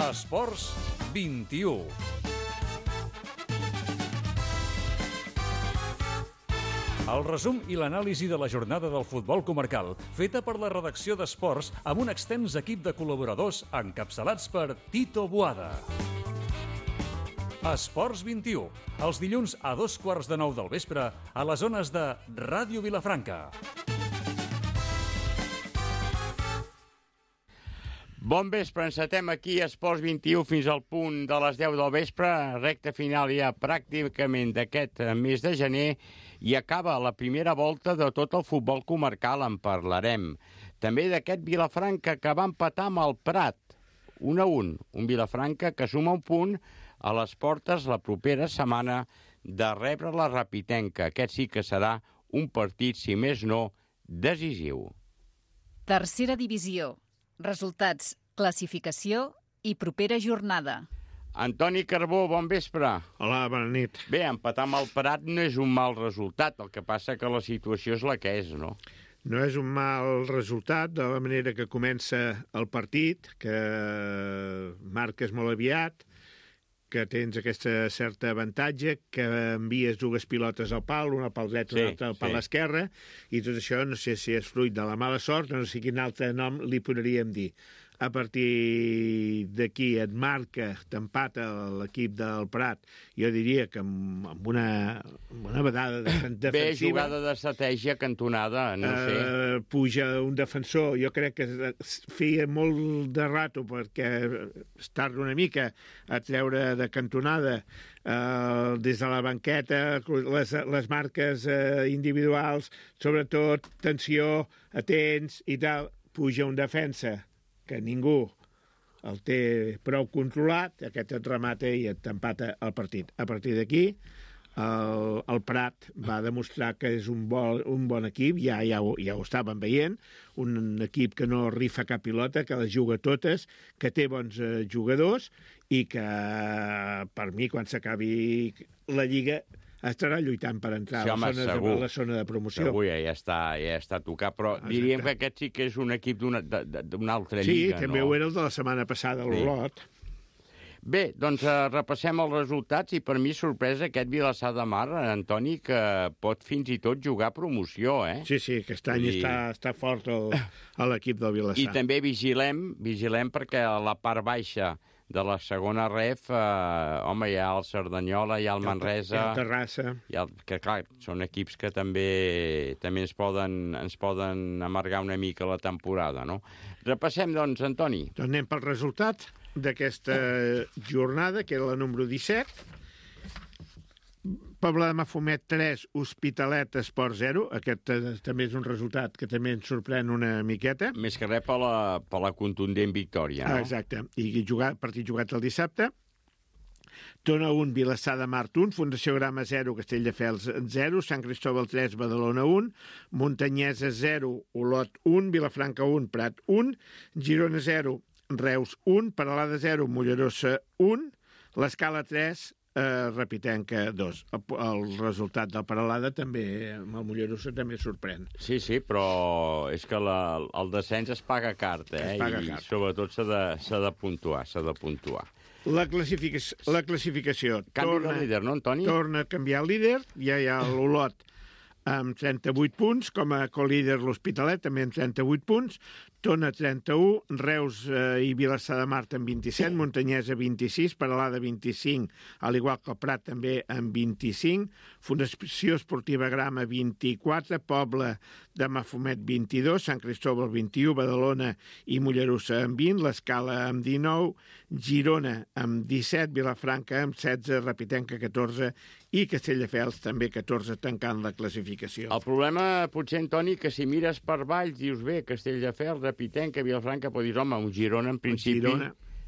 Esports 21. El resum i l'anàlisi de la jornada del futbol comarcal, feta per la redacció d'Esports amb un extens equip de col·laboradors encapçalats per Tito Boada. Esports 21, els dilluns a 8:15 del vespre a les zones de Ràdio Vilafranca. Bon vespre, encetem aquí a Esports 21 fins al punt de les 10 del vespre, recta final ja pràcticament d'aquest mes de gener, i acaba la primera volta de tot el futbol comarcal, en parlarem. També d'aquest Vilafranca que va empatar amb el Prat, 1-1, un Vilafranca que suma un punt a les portes la propera setmana de rebre la Rapitenca. Aquest sí que serà un partit, si més no, decisiu. Tercera divisió. Resultats, classificació i propera jornada. Antoni Carbó, bon vespre. Hola, bona nit. Bé, empatar amb el Prat no és un mal resultat, el que passa que la situació és la que és, no? No és un mal resultat, de la manera que comença el partit, que marques molt aviat, que tens aquesta certa avantatge, que envies dues pilotes al pal, una al pal dret, una altra al pal esquerre, i tot això no sé si és fruit de la mala sort, no sé quin altre nom li podríem dir. A partir d'aquí et marca, t'empata l'equip del Prat, jo diria que amb una vedada defensiva. Bé, jugada d'estratègia cantonada, no sé. Puja un defensor, jo crec que feia molt de rato perquè es tarda una mica a treure de cantonada des de la banqueta, les marques individuals, sobretot tensió, atents i tal, puja un defensa que ningú el té prou controlat, aquest et remata i et empata el partit. A partir d'aquí, el Prat va demostrar que és un bon equip, ja ho estàvem veient, un equip que no rifa cap pilota, que les juga totes, que té bons jugadors i que, per mi, quan s'acabi la Lliga, estarà lluitant per entrar a la zona de promoció. Segur, ja està tocat, però diríem que aquest sí que és un equip d'una altra lliga, no? Sí, també ho era el de la setmana passada, l'Olot. Bé, doncs repassem els resultats i per mi sorpresa aquest Vilassar de Mar, Antoni, que pot fins i tot jugar promoció, eh? Sí, aquest any està fort l'equip del Vilassar. I també vigilem perquè a la part baixa de la segona ref, hi ha el Cerdanyola, hi ha el Manresa... Hi ha el Terrassa. Que, clar, són equips que també ens poden amargar una mica la temporada, no? Repassem, doncs, Antoni. Doncs anem pel resultat d'aquesta jornada, que era la número 17. Pobla de Mafumet 3, Hospitalet Esport 0. Aquest també és un resultat que també ens sorprèn una miqueta. Més que res per la contundent victòria, no? Exacte. I partit jugat el dissabte. Tona 1, Vilassar de Mar 1, Fundació Grama 0, Castelldefels 0, Sant Cristóbal 3, Badalona 1, Montanyesa 0, Olot 1, Vilafranca 1, Prat 1, Girona 0, Reus 1, Peralada 0, Mollerossa 1, l'Escala 3, Rapitenca 2. El resultat del Peralada també, amb el Mollerossa, també sorprèn. Sí, però és que el descens es paga car, I sobretot s'ha de puntuar. La classificació. Canvi de líder, no, Antoni? Torna a canviar el líder, ja hi ha l'Olot amb 38 punts, com a colíder l'Hospitalet, també amb 38 punts, Tona 31, Reus i Vilassar de Mar amb 27, Montanyesa 26, Peralada 25, al igual que el Prat també amb 25, Fundació Esportiva Grama 24, Pobla de Mafumet 22, Sant Cristóbal 21, Badalona i Mollerussa amb 20, l'Escala amb 19, Girona amb 17, Vilafranca amb 16, Rapitenca 14 i Castelldefels també 14, tancant la classificació. El problema, potser, Antoni, que si mires per baix, dius bé, Castelldefels, Rapitenca, Vilafranca, però dius, home, un Girona, en principi,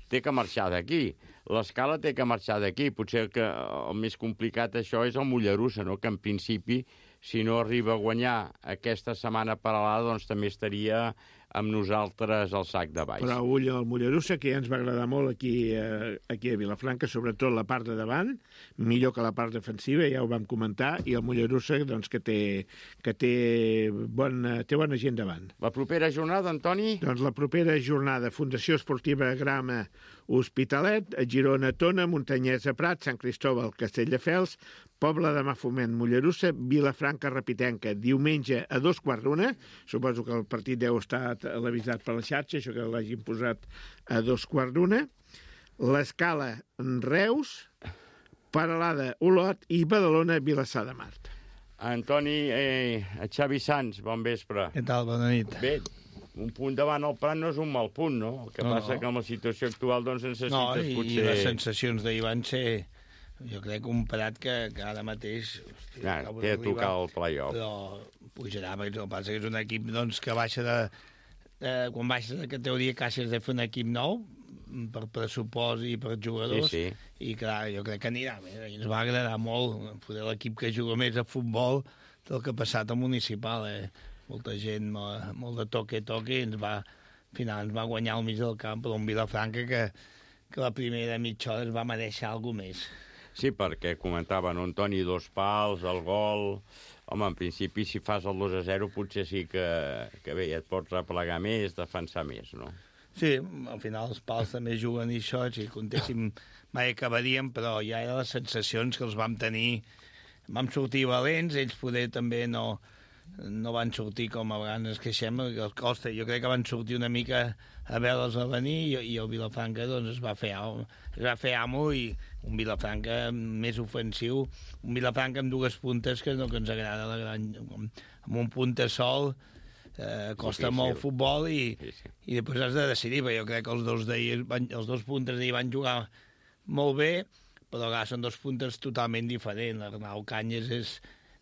té que marxar d'aquí. L'Escala té que marxar d'aquí. Potser que el més complicat això és el Mollerussa, no? Que en principi, si no arriba a guanyar aquesta setmana paral·lada, doncs també estaria amb nosaltres al sac de baix. Però ull al Mollerussa, que ja ens va agradar molt aquí a Vilafranca, sobretot la part de davant, millor que la part defensiva, ja ho vam comentar, i el Mollerussa doncs, que té bona gent davant. La propera jornada, Antoni? Doncs la propera jornada, Fundació Esportiva Grama Hospitalet, Girona Tona, Montanyesa Prat, Sant Cristòbal, Castelldefels, Pobla de Mafumet, Mollerussa, Vilafranca Repitenca, diumenge a 2:15. Suposo que el partit deu estar televisat per la xarxa, això que l'hagin posat a 2:15. L'Escala Reus, Peralada Olot i Badalona Vilassar de Mar. Antoni, Xavi Sans, bon vespre. Què tal? Bona nit. Bé, un punt davant el Prat no és un mal punt, no? El que passa que amb la situació actual doncs necessites potser... I les sensacions d'ahir van ser... Jo crec que un Prat que ara mateix... Té a tocar el play-off. Però pujarà, perquè el que passa que és un equip doncs, que baixa de... Quan baixes de categoria quasi has de fer un equip nou, per pressupost i per jugadors, i clar, jo crec que anirà bé. Ens va agradar molt poder l'equip que juga més a futbol del que ha passat al municipal. Molta gent, molt de toque-toque, al final ens va guanyar al mig del camp, però un Vilafranca que la primera mitja hora es va mereixer alguna més. Sí, perquè comentaven, Antoni, 2 pals, el gol... Home, en principi, si fas el 2-0, potser sí que bé, et pots replegar més, defensar més, no? Sí, al final els pals també juguen i això, si comptéssim mai acabaríem, però ja eren les sensacions que els vam tenir. Vam sortir valents, ells poder també no van sortir com a vegades ens queixem, que els costa. Jo crec que van sortir una mica a veure'ls a venir i el Vilafranca doncs, es va fer amo i un Vilafranca més ofensiu, un Vilafranca amb 2 puntes que no que ens agrada, amb un punta sol costa molt futbol i després has de decidir, perquè jo crec que els 2 puntes d'ahir van jugar molt bé, però clar, són 2 puntes totalment diferents. L'Arnau Canyes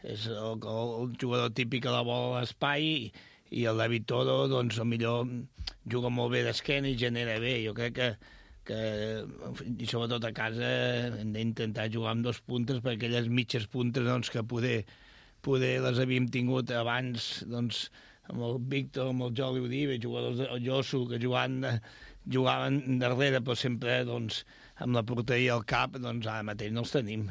és el jugador típic que la vol a l'espai i el David Toro, doncs, millor juga molt bé d'esquena i genera bé. Jo crec que i sobretot a casa hem d'intentar jugar amb 2 puntes, perquè aquelles mitges puntes doncs, que poder les havíem tingut abans, doncs, amb el Víctor, amb el Joli Uribe, jugadors del Josu, que jugaven darrere, però sempre doncs, amb la porteria al cap, doncs ara mateix no els tenim.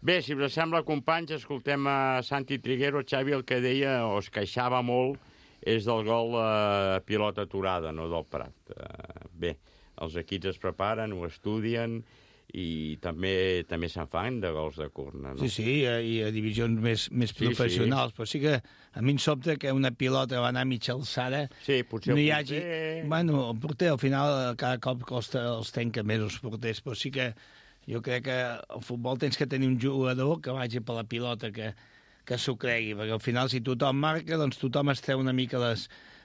Bé, si us sembla, companys, escoltem a Santi Triguero. Xavi el que deia, o es queixava molt, és del gol pilota aturada, no del Prat. Bé, els equips es preparen, ho estudien, i també se'n fan de gols de corna, no? Sí, i a divisions més professionals, però sí que a mi em sobta que una pilota va anar a mitja alçada... Sí, potser no hi hagi... Bueno, el porter al final cada cop els tenca més els porters, però sí que jo crec que al futbol tens que tenir un jugador que vagi per la pilota, que s'ho cregui, perquè al final si tothom marca, doncs tothom es treu una mica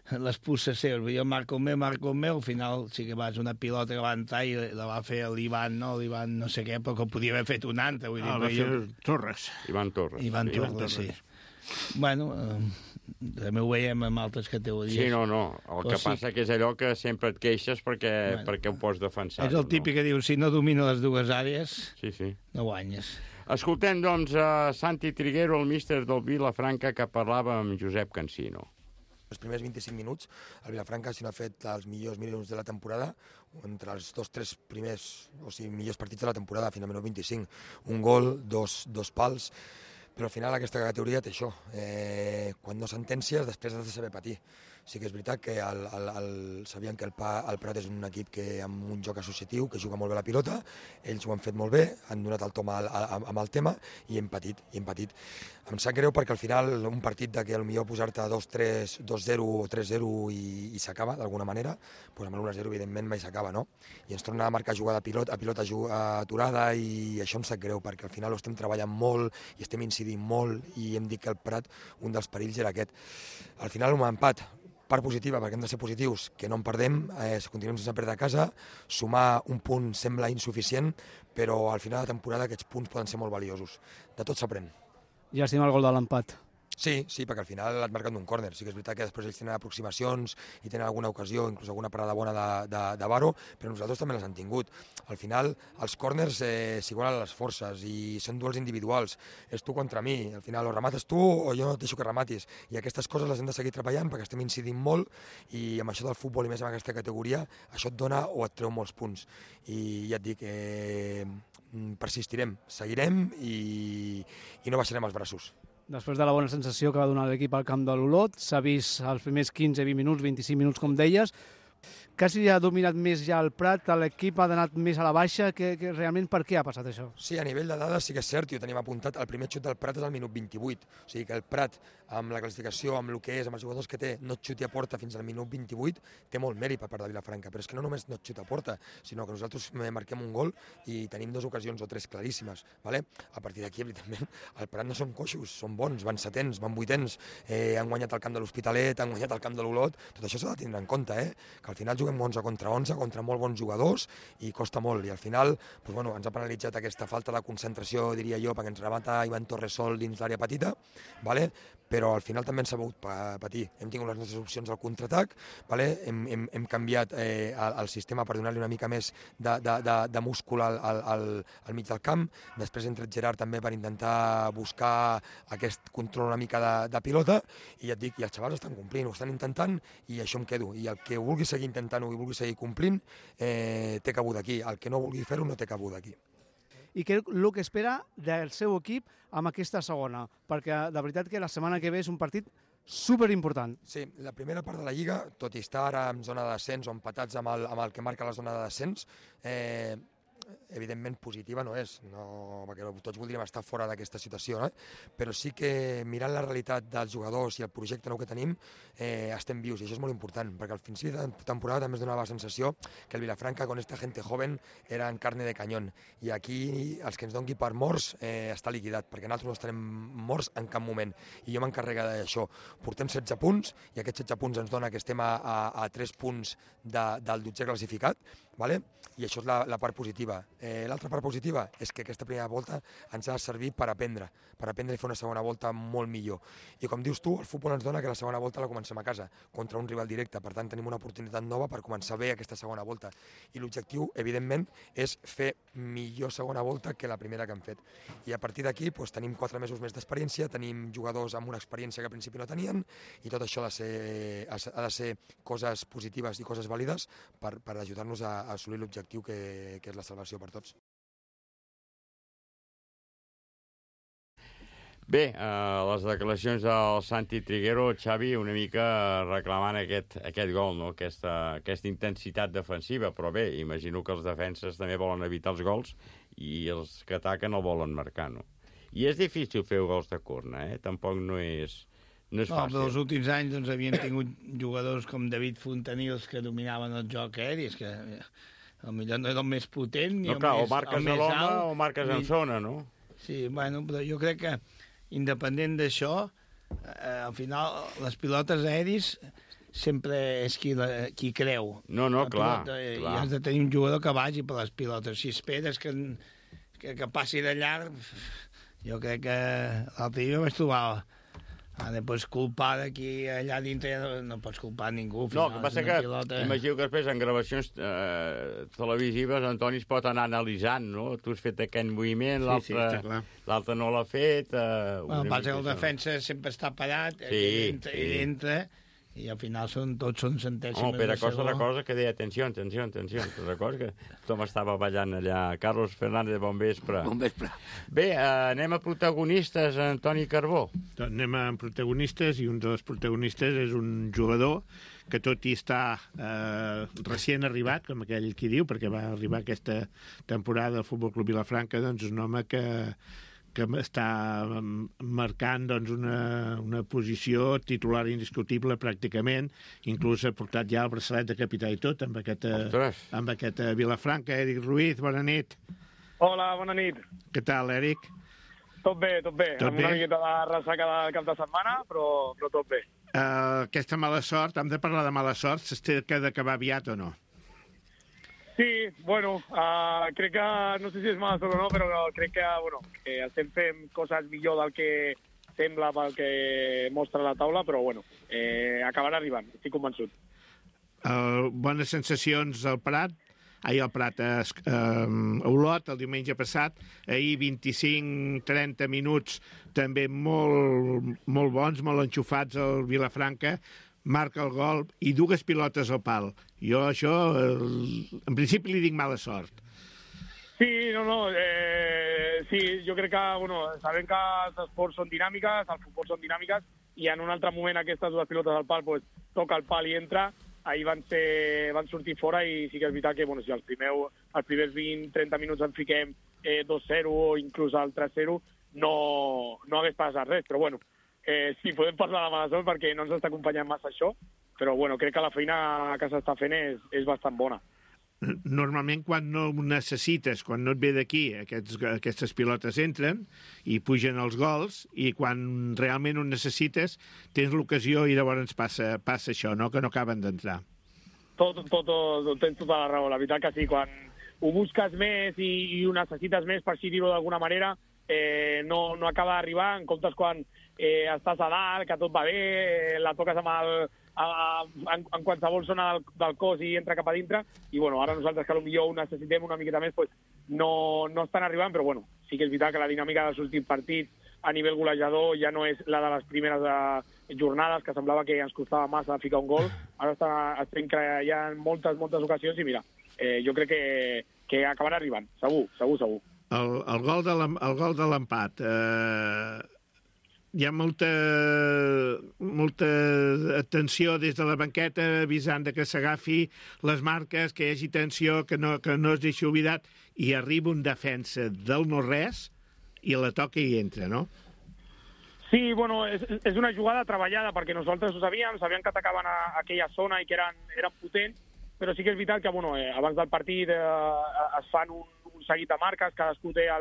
les puces seves. Jo marco el meu, al final sí que vas una pilota que va entrar i la va fer l'Ivan, no sé què, però que ho podia haver fet un altre. Va fer Torres. Ivan Torres, sí. Bueno, també ho veiem amb altres categories. Sí, no. El que passa que és allò que sempre et queixes perquè ho pots defensar. És el típic que diu, si no domina les 2 àrees, no guanyes. Escoltem, doncs, a Santi Triguero, el míster del Vilafranca, que parlava amb Josep Cansino. Els primers 25 minuts, el Vilafranca si no ha fet els millors minuts de la temporada, entre els 2-3 primers, o sigui, millors partits de la temporada, fins al minut 25. Un gol, dos pals, però al final aquesta categoria té això. Quan no sentències, després has de saber patir. Sí que és veritat que sabien que el Prat és un equip amb un joc associatiu, que juga molt bé la pilota, ells ho han fet molt bé, han donat el tom amb el tema i hem patit. Em sap greu perquè al final un partit que potser posar-te 2-3, 2-0 o 3-0 i s'acaba d'alguna manera, doncs amb l'1-0 evidentment mai s'acaba, no? I ens torna a marcar jugada a pilota aturada i això em sap greu perquè al final ho estem treballant molt i estem incidint molt i hem dit que el Prat, un dels perills era aquest. Al final un empat, part positiva, perquè hem de ser positius, que no en perdem, continuem sense perdre a casa, sumar un punt sembla insuficient, però al final de la temporada aquests punts poden ser molt valiosos. De tot s'aprèn. Llàstima el gol de l'empat. Sí, perquè al final et marquen d'un córner. Sí que és veritat que després ells tenen aproximacions i tenen alguna ocasió, inclús alguna parada bona de Varo, però nosaltres també les han tingut. Al final, els córners s'igualen les forces i són duels individuals. És tu contra mi. Al final, o remates tu o jo no et deixo que rematis. I aquestes coses les hem de seguir treballant perquè estem incidint molt i amb això del futbol i més en aquesta categoria, això et dona o et treu molts punts. I ja et dic, persistirem, seguirem i no baixarem els braços. Després de la bona sensació que va donar l'equip al camp de l'Olot, s'ha vist els primers 15, 20 minuts, 25 minuts, com deies, quasi ha dominat més ja el Prat, l'equip ha anat més a la baixa, que realment per què ha passat això? Sí, a nivell de dades sí que és cert, i ho tenim apuntat, el primer xut del Prat és al minut 28, o sigui que el Prat, amb la classificació, amb el que és, amb els jugadors que té, no et xuti a porta fins al minut 28, té molt mèrit per part de Vilafranca, però és que no només no et xuta a porta, sinó que nosaltres marquem un gol i tenim 2 ocasions o 3 claríssimes, ¿vale? A partir d'aquí, evidentment, el Prat no són coixos, són bons, van setens, van vuitens, han guanyat el camp de l'Hospitalet, han guanyat el camp de l'Olot, tot això s'ha de tindre en compte, que al final juguem 11 contra molt bons jugadors i costa molt, i al final doncs, bueno, ens ha penalitzat aquesta falta de concentració, diria jo, perquè ens remata Ivan Torres sol dins l'àrea petita, ¿vale? Però al final també ens ha sabut patir. Hem tingut les nostres opcions al contraatac, ¿vale? Hem canviat el sistema per donar-li una mica més de múscul al mig del camp, després ha entrat Gerard també per intentar buscar aquest control una mica de pilota, i ja et dic, i els xavals estan complint, ho estan intentant, i això em quedo, i el que vulgui seguir intentant-ho i vulgui seguir complint, té cabuda aquí, el que no vulgui fer-ho no té cabuda aquí. I què és el que espera del seu equip amb aquesta segona? Perquè de veritat que la setmana que ve és un partit superimportant. Sí, la primera part de la Lliga, tot i estar ara en zona de descens o empatats amb el que marca la zona de descens, evidentment positiva no és, perquè tots voldríem estar fora d'aquesta situació, però sí que mirant la realitat dels jugadors i el projecte nou que tenim, estem vius, i això és molt important, perquè al principi de temporada també es donava la sensació que el Vilafranca, con esta gente joven, era en carne de cañón, i aquí els que ens doni per morts està liquidat, perquè nosaltres no estarem morts en cap moment, i jo m'encarrega d'això. Portem 16 punts, i aquests 16 punts ens dona que estem a 3 punts del 12è classificat, ¿vale? I això és la part positiva. L'altra part positiva és que aquesta primera volta ens ha de servir per aprendre i fer una segona volta molt millor. I com dius tu, el futbol ens dona que la segona volta la comencem a casa, contra un rival directe, per tant tenim una oportunitat nova per començar bé aquesta segona volta. I l'objectiu, evidentment, és fer millor segona volta que la primera que hem fet. I a partir d'aquí tenim 4 mesos més d'experiència, tenim jugadors amb una experiència que al principi no tenien, i tot això ha de ser coses positives i coses vàlides per ajudar-nos a assolir l'objectiu que és la salvació per tots. Bé, les declaracions del Santi Triguero, Xavi, una mica reclamant aquest gol, no? Aquesta intensitat defensiva, però bé, imagino que els defenses també volen evitar els gols i els que ataquen el volen marcar, no? I és difícil fer gols de corna, tampoc no és fàcil. Però els últims anys havien tingut jugadors com David Fontanils que dominaven el joc aeri, és que potser no era el més potent ni el més alt. O marques a l'home o marques en zona, no? Sí, bueno, però jo crec que independent d'això, al final les pilotes aèris sempre és qui creu. No, clar. I has de tenir un jugador que vagi per les pilotes. Si esperes que passi de llarg, jo crec que l'altre dia vaig trobar Després culpar d'aquí allà dintre no pots culpar ningú. No, el que passa que imagino que després en gravacions televisives Antoni es pot anar analitzant, no? Tu has fet aquest moviment, l'altre no l'ha fet... Passa que el defensa sempre està parat, ell entra i al final tots són centèsimes de segon. Recorda que deia atenció. Recorda que tothom estava ballant allà. Carlos Fernández, bon vespre. Bon vespre. Bé, anem a protagonistes, Antoni Carbó. Anem a protagonistes, i un dels protagonistes és un jugador que tot i està recient arribat, com aquell qui diu, perquè va arribar aquesta temporada al Futbol Club Vilafranca, doncs un home que està marcant doncs, una posició titular indiscutible pràcticament, inclús ha portat ja el braçalet de capità i tot amb aquest Vilafranca. Eric Ruiz, bona nit. Hola, bona nit. Què tal, Eric? Tot bé. Amb una miqueta de ressaca del cap de setmana, però tot bé. Aquesta mala sort, hem de parlar de mala sort, s'ha d'acabar aviat o no? Sí, bueno, crec que, no sé si és mala sort o no, però crec que estem fent coses millor del que sembla pel que mostra la taula, però bueno, acabarà arribant, estic convençut. Bones sensacions al Prat, a Olot el diumenge passat, ahir 25-30 minuts també molt bons, molt enxufats al Vilafranca, marca el gol i dues pilotes al pal. Jo això, en principi li dic mala sort. Sí, sí, jo crec que, sabem que els esports són dinàmiques, el futbol són dinàmiques, i en un altre moment aquestes dues pilotes al pal toca el pal i entra. Ahir van sortir fora i sí que és veritat que si els primers 20-30 minuts en fiquem 2-0 o inclús el 3-0 no hagués passat res, però sí, podem parlar de mala sort perquè no ens està acompanyant massa això, però crec que la feina que s'està fent és bastant bona. Normalment quan no ho necessites, quan no et ve d'aquí, aquestes pilotes entren i pugen els gols, i quan realment ho necessites tens l'ocasió i llavors passa això, no? Que no acaben d'entrar. Tens tota la raó, la veritat que sí, quan ho busques més i ho necessites més, per així dir-ho d'alguna manera, no acaba d'arribar, en comptes quan estàs a dalt, que tot va bé, la toques en qualsevol zona del cos i entra cap a dintre, i ara nosaltres que potser ho necessitem una miqueta més, no estan arribant, però sí que és veritat que la dinàmica dels últims partits a nivell golejador ja no és la de les primeres jornades, que semblava que ens costava massa ficar un gol. Ara estem creant moltes ocasions i mira, jo crec que acabarà arribant, segur. El gol de l'empat, hi ha molta atenció des de la banqueta avisant que s'agafi les marques, que hi hagi tensió, que no es deixi oblidat, i arriba un defensa del no-res i la toca i entra, no? Sí, és una jugada treballada perquè nosaltres ho sabíem que atacaven a aquella zona i que eren potents, però sí que és veritat que abans del partit es fan un seguit de marques, cadascú té a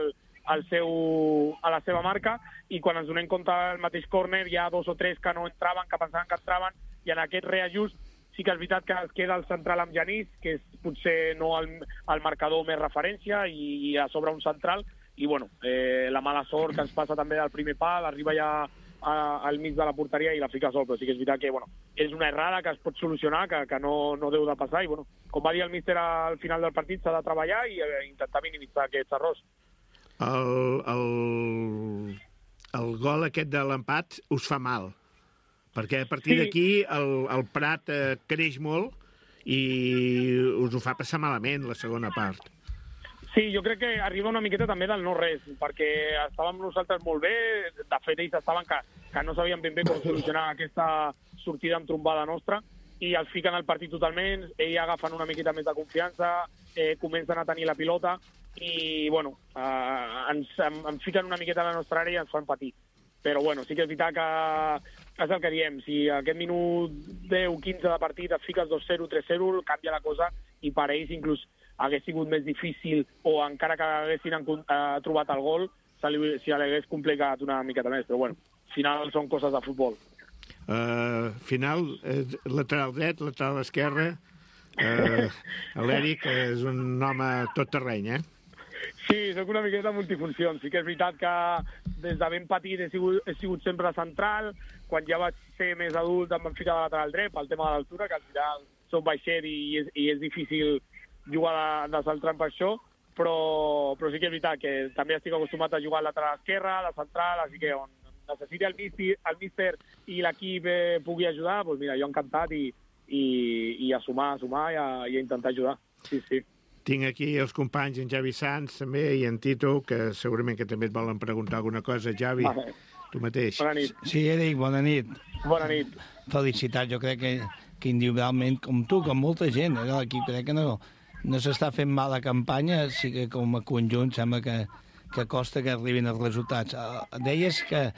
la seva marca, i quan ens donem compte al mateix córner hi ha 2 o 3 que no entraven, que pensaven que entraven, i en aquest reajust sí que és veritat que es queda el central amb Genís, que és potser no el marcador més referència, i a sobre un central, i la mala sort que ens passa també del primer pal, arriba ja al mig de la porteria i la fica sol, però sí que és veritat que és una errada que es pot solucionar, que no deu de passar, i com va dir el míster al final del partit, s'ha de treballar i intentar minimitzar aquests errors. El gol aquest de l'empat us fa mal, perquè a partir d'aquí el Prat creix molt i us ho fa passar malament la segona part. Sí, jo crec que arriba una miqueta també del no-res, perquè estàvem nosaltres molt bé, de fet ells estaven que no sabien ben bé com solucionar aquesta sortida amb trombada nostra, i els fiquen al partit totalment, ells agafen una miqueta més de confiança, comencen a tenir la pilota, i ens fiquen una miqueta a la nostra àrea i ens fan patir. Però sí que és veritat que és el que diem, si aquest minut 10-15 de partit et fiques 2-0, 3-0, canvia la cosa, i per ells inclús hagués sigut més difícil, o encara que haguessin trobat el gol, si l'hagués complicat una miqueta més, però al final són coses de futbol. Final, lateral dret, lateral esquerre, l'Eric és un home tot terreny, Sí, soc una miqueta multifunció. Sí que és veritat que des de ben petit he sigut sempre central. Quan ja vaig ser més adult em van ficar de lateral dret pel tema de l'altura, que al final som baixet i és difícil jugar de central per això, però sí que és veritat que també estic acostumat a jugar al lateral esquerre, a la central, així que on necessiti el míster i l'equip pugui ajudar, doncs mira, jo encantat i a sumar i a intentar ajudar. Sí. Tinc aquí els companys, en Javi Sanz també, i en Tito, que segurament que també et volen preguntar alguna cosa. Javi, tu mateix. Bona nit. Sí, Eric, bona nit. Bona nit. Felicitats, jo crec que individualment, com tu, com molta gent, l'equip crec que no s'està fent mala campanya, sí que com a conjunt sembla que costa que arribin els resultats. Deies que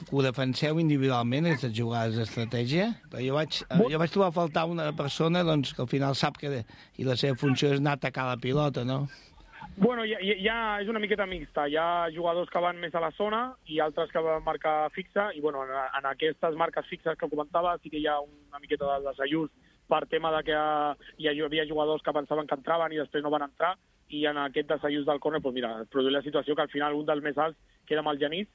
ho defenseu individualment, aquestes jugades d'estratègia? Jo vaig trobar a faltar una persona que al final sap que i la seva funció és anar a atacar la pilota, no? Ja és una miqueta mixta. Hi ha jugadors que van més a la zona i altres que van marcar fixa, i en aquestes marques fixes que comentava sí que hi ha una miqueta de desajust per tema de que hi havia jugadors que pensaven que entraven i després no van entrar, i en aquest desajust del córner, es produeix la situació que al final un dels més alts queda amb el Genís,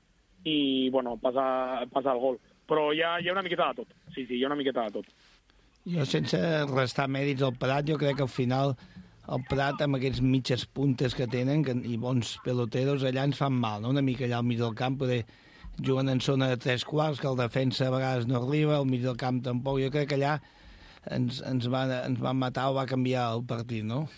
i, bueno, passa el gol. Però hi ha una miqueta de tot. Sí, hi ha una miqueta de tot. Jo, sense restar mèrits al Prat, jo crec que al final el Prat, amb aquests mitges puntes que tenen i bons peloteros, allà ens fan mal, no? Una mica allà al mig del camp, poder juguen en zona de 3/4, que el defensa a vegades no arriba, al mig del camp tampoc. Jo crec que allà ens van matar o va canviar el partit, no?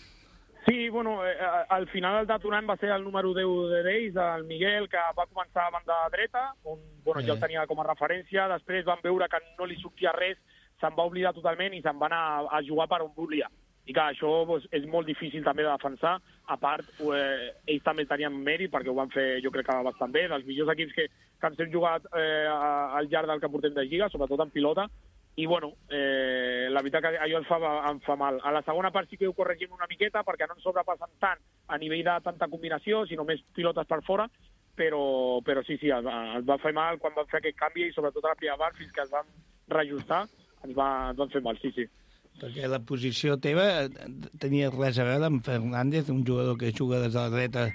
Sí, bueno, al final el detonant va ser el número 10 d'ells, el Miguel, que va començar a banda dreta, on jo el tenia com a referència, després van veure que no li sortia res, se'n va oblidar totalment i se'n va anar a jugar per on volia. I que això doncs, és molt difícil també de defensar. A part, ells també tenien mèrit, perquè ho van fer, jo crec que bastant bé, dels millors equips que ens hem jugat al llarg del que portem de Lliga, sobretot en pilota. I, bueno, la veritat que allò em fa mal. A la segona part sí que ho corregim una miqueta, perquè no ens sobrepassen tant a nivell de tanta combinació, sinó més pilotes per fora, però sí, ens va fer mal quan van fer aquest canvi, i sobretot a la primera part, fins que es van reajustar, ens van fer mal, sí. Perquè la posició teva tenia res a veure amb Fernández, un jugador que juga des de la dreta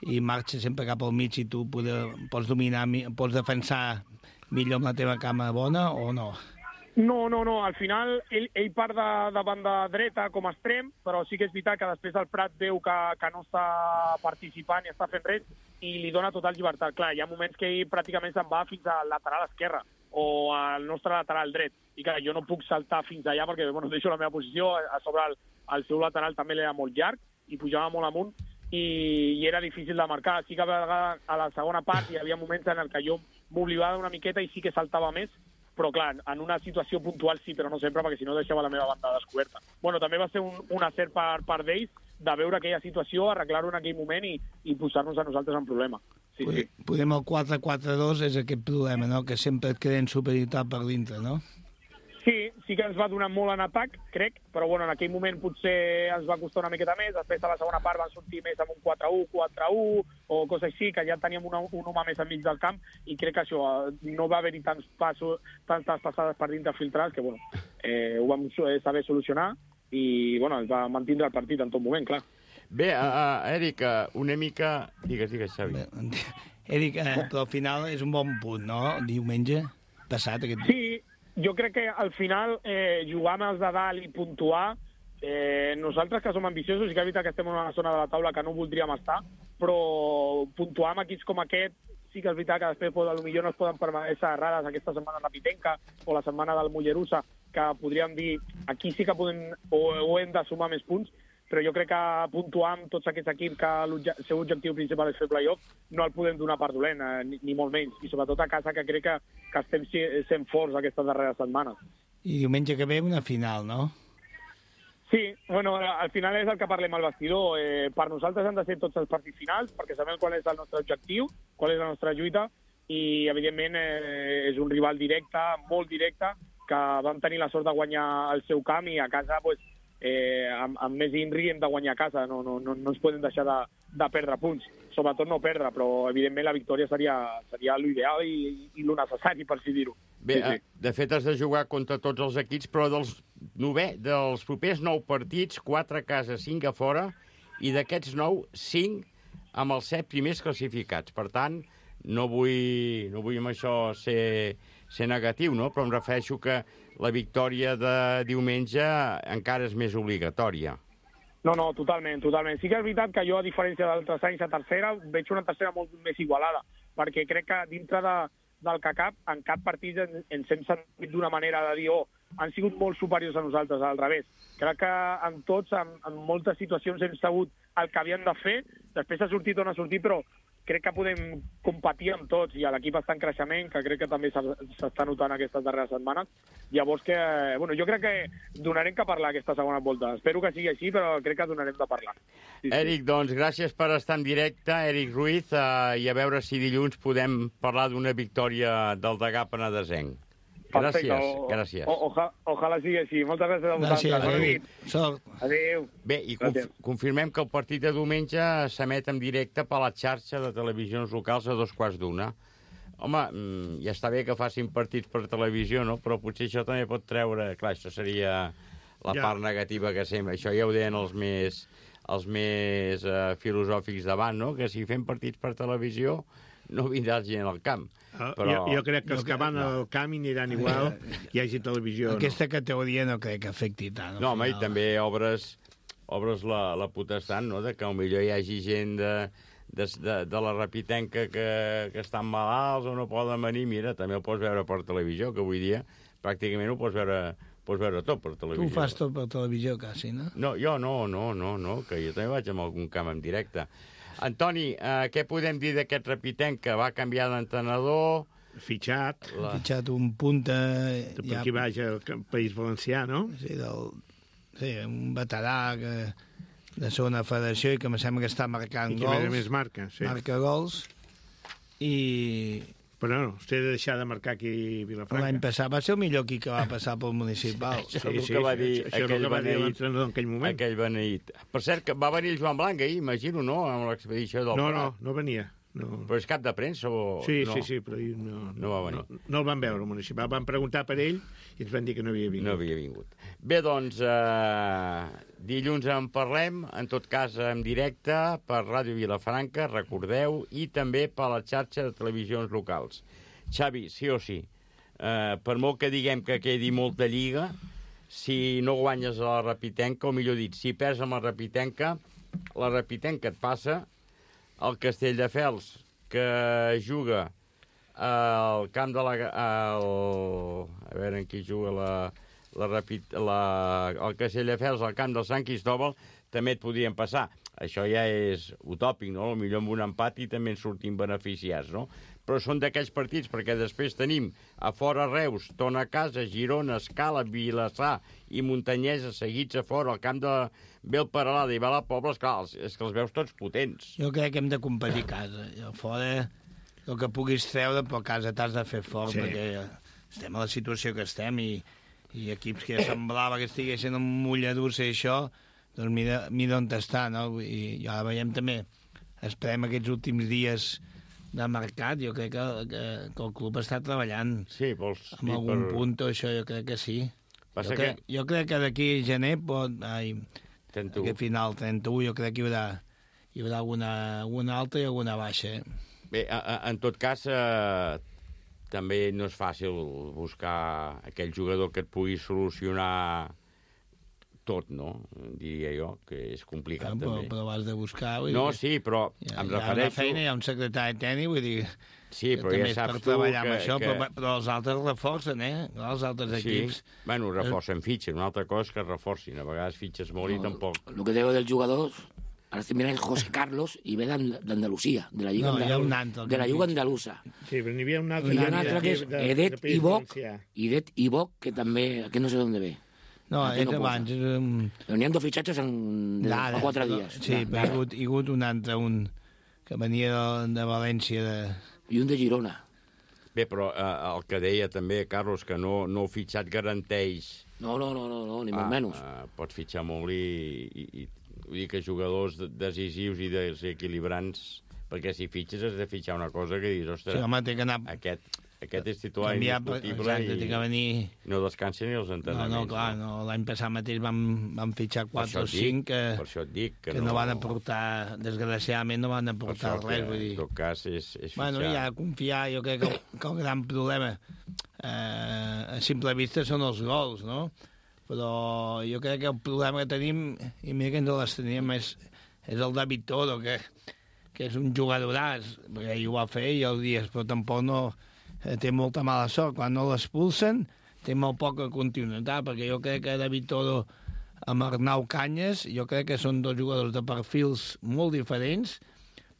i marxa sempre cap al mig, i tu pots dominar, pots defensar millor amb la teva cama bona o no? No, al final ell part de banda dreta com a extrem, però sí que és veritat que després el Prat veu que no està participant i està fent res i li dona total llibertat. Clar, hi ha moments que ell pràcticament se'n va fins al lateral esquerre o al nostre lateral dret, i clar, jo no puc saltar fins allà perquè, bueno, deixo la meva posició, a sobre el seu lateral també l'era molt llarg i pujava molt amunt i era difícil de marcar. Sí que a vegades a la segona part hi havia moments en què jo m'oblidava una miqueta i sí que saltava més, però clar, en una situació puntual sí, però no sempre, perquè si no deixava la meva banda descoberta. Bueno, també va ser un acert per part d'ells de veure aquella situació, arreglar-ho en aquell moment i posar-nos a nosaltres en problema. Sí. Podem el 4-4-2 és aquest problema, no?, que sempre et creen superioritat per dintre, no? Sí que ens va donar molt en atac, crec, però bueno, en aquell moment potser ens va costar una miqueta més, després a la segona part van sortir més amb un 4-1, 4-1 o coses així, que ja teníem un home més enmig del camp, i crec que això no va haver-hi tantes passades per dintre filtrades, que bueno, ho vam saber solucionar i bueno, ens va mantindre el partit en tot moment, clar. Bé, Eric, una mica... Digues, Xavi. Eric, però al final és un bon punt, no?, diumenge passat aquest... Sí, jo crec que al final jugar amb els de dalt i puntuar, nosaltres que som ambiciosos i que és veritat que estem en una zona de la taula que no voldríem estar, però puntuar amb equips com aquest sí que és veritat que després potser no es poden permetre errades aquesta setmana de la Pitenca o la setmana del Mollerussa, que podríem dir aquí sí que podem o hem de sumar més punts, però jo crec que puntuar amb tots aquests equips que el seu objectiu principal és fer playoff no el podem donar per dolent, ni molt menys, i sobretot a casa, que crec que estem sent forts aquestes darreres setmanes. I diumenge que ve una final, no? Sí, bueno, al final és el que parlem al vestidor. Per nosaltres han de ser tots els partits finals, perquè sabem qual és el nostre objectiu, qual és la nostra lluita, i evidentment és un rival directe, molt directe, que vam tenir la sort de guanyar el seu camp, i a casa, doncs, amb més INRI hem de guanyar a casa, no ens podem deixar de perdre punts, sobretot no perdre, però evidentment la victòria seria l'ideal i lo necessari, per així dir-ho. Bé, sí. De fet has de jugar contra tots els equips, però dels propers 9 partits, 4 a casa, 5 a fora, i d'aquests 9, 5 amb els 7 primers classificats. Per tant, no vull amb això ser negatiu, no? Però em refereixo que la victòria de diumenge encara és més obligatòria. No, totalment. Sí que és veritat que jo, a diferència d'altres anys a tercera, veig una tercera molt més igualada, perquè crec que dintre del que cap, en cap partit ens hem sentit d'una manera de dir han sigut molt superiors a nosaltres, al revés. Crec que en tots, en moltes situacions, hem sabut el que havíem de fer, després ha sortit o no ha sortit, però crec que podem competir amb tots, i l'equip està en creixement, que crec que també s'està notant aquestes darreres setmanes. Llavors jo crec que donarem que parlar aquesta segona volta. Espero que sigui així, però crec que donarem de parlar. Sí. Eric, doncs gràcies per estar en directe, Eric Ruiz, i a veure si dilluns podem parlar d'una victòria del Degà Penedesenc. Gràcies. Ojalà sigui així. Moltes gràcies a vosaltres. Adéu. Adéu. Bé, i confirmem que el partit de diumenge s'emet en directe per la xarxa de televisions locals a 2:15. Home, ja està bé que facin partits per televisió, no? Però potser això també pot treure... Clar, això seria la part negativa que sempre... Això ja ho deien els més filosòfics d'abans, no? Que si fem partits per televisió no vindrà gent al camp. Però... Jo crec que els que van al camp aniran igual, hi hagi televisió. Aquesta categoria no crec que afecti tant. No, home, i també obres la potestat, no?, de que potser hi hagi gent de la Rapitenca que estan malalts o no poden venir. Mira, també ho pots veure per televisió, que avui dia pràcticament ho pots veure tot per televisió. Tu ho fas tot per televisió, quasi, no? No, jo no, que jo també vaig amb algun camp en directe. Antoni, què podem dir d'aquest Rapitenc que va canviar d'entrenador? Fitxat. Fitxat un punta... Per aquí vaig al País Valencià, no? Sí, un veterà de segona federació i que em sembla que està marcant gols. I que més marca, sí. Marca gols. Però no, vostè ha de deixar de marcar aquí a Vilafranca. L'any passat va ser el millor equip que va passar pel municipal. Això és el que va dir l'entrenador en aquell moment. Aquell beneït. Per cert, que va venir el Joan Blanc ahir, imagino, no?, amb l'expedició del Prat. No venia. No. Però és cap de premsa o...? Sí, però no va venir. No el van veure, el municipal. Van preguntar per ell i ens van dir que no havia vingut. No havia vingut. Bé, doncs, dilluns en parlem, en tot cas en directe, per Ràdio Vilafranca, recordeu, i també per la xarxa de televisions locals. Xavi, sí o sí, per molt que diguem que quedi molta lliga, si no guanyes a la Rapitenca, o millor dit, si perds amb la Rapitenca et passa. El Castelldefels, que juga al camp de a veure en qui juga el Castelldefels al camp del Sant Cristòbal, també et podrien passar. Això ja és utòpic, no? Potser amb un empat i també en sortim beneficiats, no? Però són d'aquells partits, perquè després tenim a fora Reus, Tona a casa, Girona, Escala, Vilassar i Muntanyesa seguits a fora, al camp de Belperalada i Belapobla, esclar, és que els veus tots potents. Jo crec que hem de competir a casa. A fora, el que puguis treure, però a casa t'has de fer fort, perquè estem a la situació que estem i equips que semblava que estiguessin en mulladura i això, doncs mira on està, no? I ja veiem també, esperem aquests últims dies de mercat, jo crec que el club està treballant amb algun punt, això jo crec que sí. Jo crec que d'aquí a gener aquest final 31 jo crec que hi haurà alguna alta i alguna baixa. Bé, en tot cas, també no és fàcil buscar aquell jugador que et pugui solucionar tot, no? Diria jo, que és complicat, també. Però has de buscar... No, sí, però em refereixo... Hi ha una feina, hi ha un secretari tècnic, vull dir... Sí, però ja saps tu que... Però els altres reforcen, els altres equips... Bueno, reforcen fitxes, una altra cosa és que reforcin. A vegades fitxes molt i tampoc... Lo que digo del jugador... Ahora se mira José Carlos y ve d'Andalusia, de la Lliga Andalusa. Sí, però n'hi havia un altre... Hi ha un altre que és Edet Ibok, que també... que no sé d'on ve. No, és abans. N'hi ha dos fitxatges fa 4 dies. Sí, però hi ha hagut un altre, un que venia de València. I un de Girona. Bé, però el que deia també, Carlos, que no fitxat garanteix... No, ni molt menys. Pots fitxar molt i vull dir que jugadors decisius i desequilibrants, perquè si fitxes has de fitxar una cosa que dius, ostres, sí, home, té que anar... aquest és titular indiscutible i no descansen ni els entrenaments. No, clar, l'any passat mateix vam fitxar 4 o 5 que no van aportar, desgraciadament no van aportar res. Vull dir. En tot cas és fitxar. Bueno, ja confiar, jo crec que el gran problema a simple vista són els gols, no? Però jo crec que el problema que tenim, i mira que ens les teníem, és el David Toro, que és un jugadoràs, perquè ell ho va fer i els dies, però tampoc no... té molta mala sort. Quan no l'expulsen, té molt poca continuïtat, perquè jo crec que David Toro amb Arnau Canyes, jo crec que són dos jugadors de perfils molt diferents,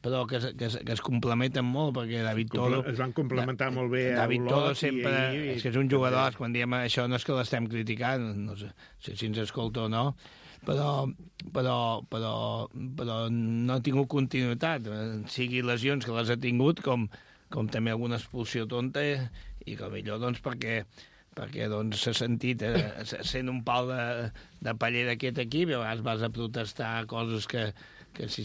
però que es complementen molt, perquè David Toro... Es van complementar molt bé a David Toro sempre... És que és un jugador, quan diem això no és que l'estem criticant, no sé si ens escolta o no, però no ha tingut continuïtat, sigui lesions que les ha tingut, com també alguna expulsió tonta, i que millor doncs perquè doncs, s'ha sentit sent un pal de paller d'aquest equip, i a vegades vas a protestar coses que si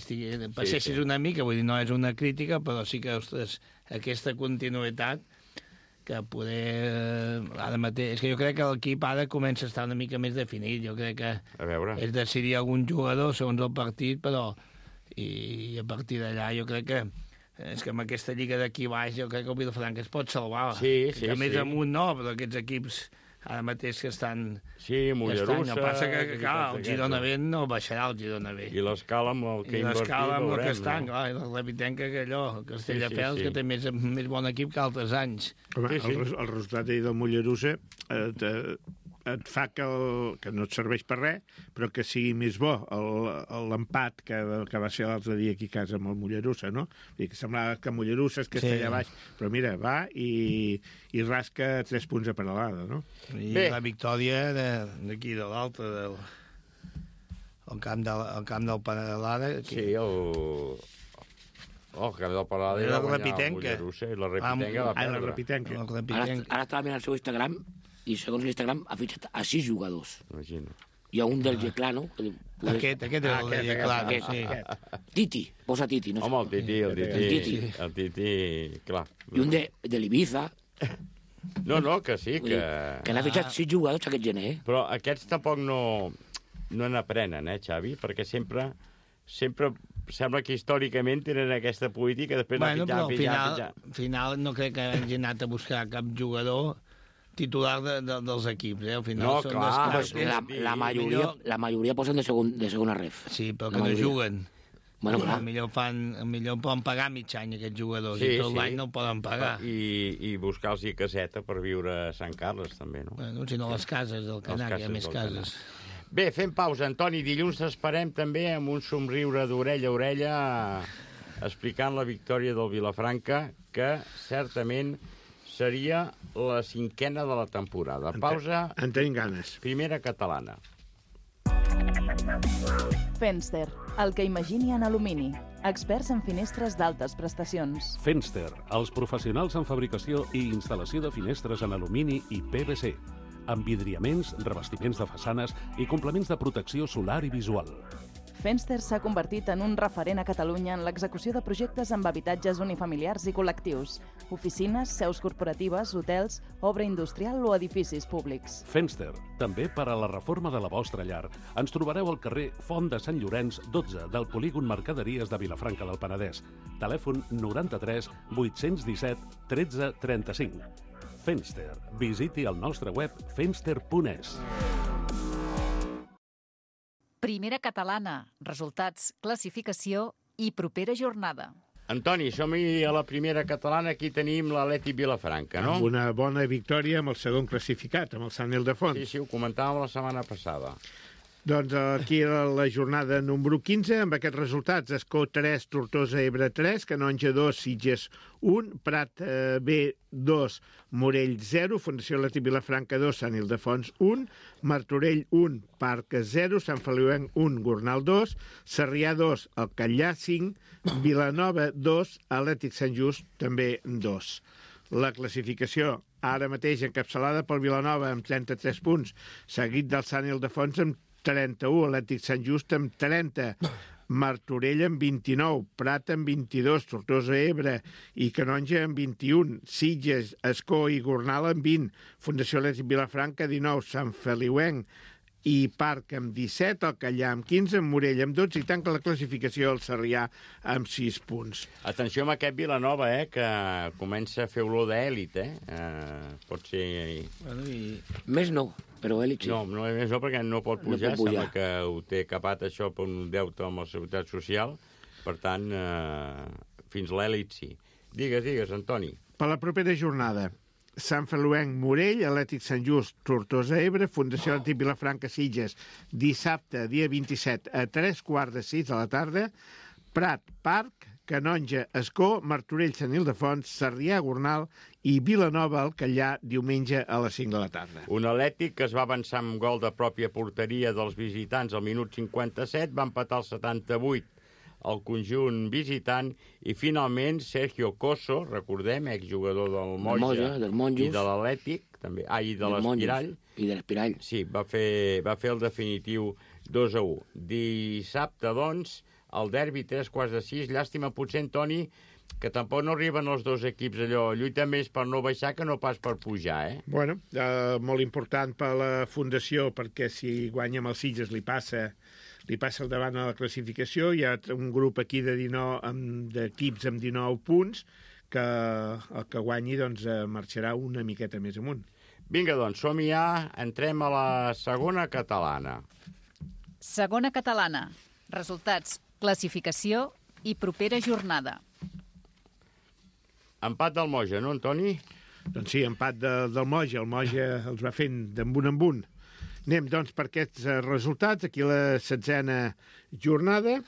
passessis una mica, vull dir, no és una crítica, però sí que, ostres, aquesta continuïtat que poder... Ara mateix, és que jo crec que l'equip ara comença a estar una mica més definit, jo crec que és decidir algun jugador segons el partit, però i a partir d'allà jo crec que És que amb aquesta lliga d'aquí baix jo crec que el Vilafranca es pot salvar. Sí. Més amunt no, però aquests equips ara mateix que estan... Sí, Mollerussa... El que passa que, clar, el Girona B no baixarà el Girona B. I l'Escala amb el que invertit veurem. I l'Escala amb el que estan, no? clar, i la Repitenca que allò, Castelldefels, que té més bon equip que altres anys. Home, el resultat del Mollerussa et fa que no et serveix per res, però que sigui més bo l'empat que va ser l'altre dia aquí a casa amb el Mollerussa, no? Vull dir que semblava que Mollerussa és Castella baix, però mira, va i rasca 3 punts a Peralada, no? I la victòria d'aquí de l'altre, el camp del Peralada... Sí, el camp del Peralada i la Repitenca. La Repitenca. Ara estava mirant el seu Instagram i segons l'Instagram ha fitxat a 6 jugadors. Imagino. Hi ha un del Yeclano. Aquest és el del Yeclano, sí. Titi, posa Titi. No sé. Home, el Titi, clar. I un de l'Ibiza. No, que sí, que... Que n'ha fitxat 6 jugadors aquest gener, Però aquests tampoc no n'aprenen, Xavi? Perquè sempre sembla que històricament tenen aquesta política, després però al final no crec que hagi anat a buscar cap jugador titular dels equips, Al final no, clar, la majoria posen de segona ref. Sí, però que no juguen. Bueno, clar. Millor poden pagar mig any aquests jugadors i tot l'any no el poden pagar. I buscar-los caseta per viure a Sant Carles, també, no? Bueno, si no les cases del Canà, que hi ha més cases. Bé, fem pausa, Antoni. Dilluns t'esperem també amb un somriure d'orella a orella explicant la victòria del Vilafranca, que certament seria la 5a de la temporada. Pausa. En tenim ganes. Primera catalana. Fenster, el que imagini en alumini. Experts en finestres d'altes prestacions. Fenster, els professionals en fabricació i instal·lació de finestres en alumini i PVC, amb vidriaments, revestiments de façanes i complements de protecció solar i visual. Fenster s'ha convertit en un referent a Catalunya en l'execució de projectes amb habitatges unifamiliars i col·lectius, oficines, seus corporatives, hotels, obra industrial o edificis públics. Fenster, també per a la reforma de la vostra llar. Ens trobareu al carrer Font de Sant Llorenç, 12, del polígon Mercaderies de Vilafranca del Penedès. Telèfon 93 817 13 35. Fenster. Visiti el nostre web fenster.es. Primera catalana, resultats, classificació i propera jornada. Antoni, som-hi a la primera catalana, aquí tenim l'Atlètic Vilafranca, no? Amb una bona victòria amb el segon classificat, amb el Sant Ildefons. Sí, ho comentàvem la setmana passada. Doncs aquí la jornada número 15, amb aquests resultats, Escó 3, Tortosa Ebre 3, Canonja 2, Sitges 1, Prat B 2, Morell 0, Fundació Atlètic Vilafranca 2, Sant Ildefons 1, Martorell 1, Parc 0, Sant Feliuenc 1, Gornal 2, Sarrià 2, El Catllà 5, Vilanova 2, Atlètic Sant Just també 2. La classificació ara mateix encapçalada pel Vilanova amb 33 punts, seguit del Sant Ildefons amb 31, Atlètic Sant Just amb 30, Martorell amb 29, Prat amb 22, Tortosa Ebre i Canonja amb 21, Sitges, Escó i Gornal amb 20, Fundació Atlètic Vilafranca 19, Sant Feliuenc i Parc amb 17, el Catllà amb 15, Morell amb 12 i tanca la classificació el Sarrià amb 6 punts. Atenció amb aquest Vilanova, que comença a fer olor d'èlit, pot ser... Bueno, més no, però èlit sí. No, més no, perquè no pot pujar, sembla que ho té capat això per un deute amb la Seguretat Social, per tant, fins l'èlit sí. Digues, Antoni. Per la propera jornada, Sant Feliuenc, Morell, Atlètic Sant Just, Tortosa Ebre, Fundació Atlètic Vilafranca Sitges, dissabte, dia 27, a 3:15 de la tarda, Prat, Parc, Canonja, Escó, Martorell, Sant Ildefons, Sarrià, Gornal i Vilanova, el Catllà, diumenge a les 5 de la tarda. Un Atlètic que es va avançar amb gol de pròpia porteria dels visitants al minut 57, va empatar al 78 el conjunt visitant i finalment Sergio Coso, recordem, exjugador del Moja i de l'Atlètic, també, i de l'Espirall. I de l'Espirall. Sí, va fer el definitiu 2-1. Dissabte, doncs, el derbi 3:15, llàstima potser, Antoni, que tampoc no arriben els dos equips allò, lluita més per no baixar que no pas per pujar, Bueno, molt important per la Fundació, perquè si guanya amb els Sitges li passa li passa al davant a la classificació. Hi ha un grup aquí d'equips amb 19 punts, que el que guanyi doncs, marxarà una miqueta més amunt. Vinga, doncs, som-hi ja. Entrem a la segona catalana. Segona catalana. Resultats, classificació i propera jornada. Empat del Moja, no, Antoni? Doncs sí, empat del Moja. El Moja els va fent d'embun en un. Anem, doncs, per aquests resultats. Aquí la 16a jornada.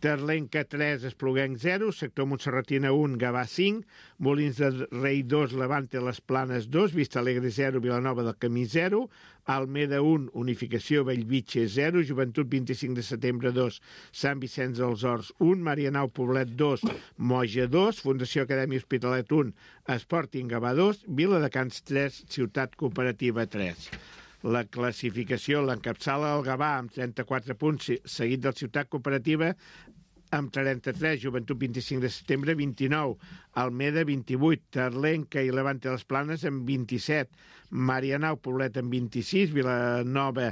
Terlenca 3, Espluguenc 0, Sector Montserratina 1, Gavà 5, Molins de Rei 2, Levante Les Planes 2, Vista Alegre 0, Vilanova del Camí 0, Almeda 1, Unificació Bellvitge 0, Joventut 25 de setembre 2, Sant Vicenç dels Horts 1, Marianao Poblet 2, Moja 2, Fundació Acadèmia Hospitalet 1, Sporting Gavà 2, Viladecans 3, Ciutat Cooperativa 3. La classificació l'encapçala el Gavà amb 34 punts, seguit del Ciutat Cooperativa amb 33, Joventut 25 de setembre 29, Almeda 28, Terlenca i Levante les Planes amb 27, Marianao Poblet amb 26, Vilanova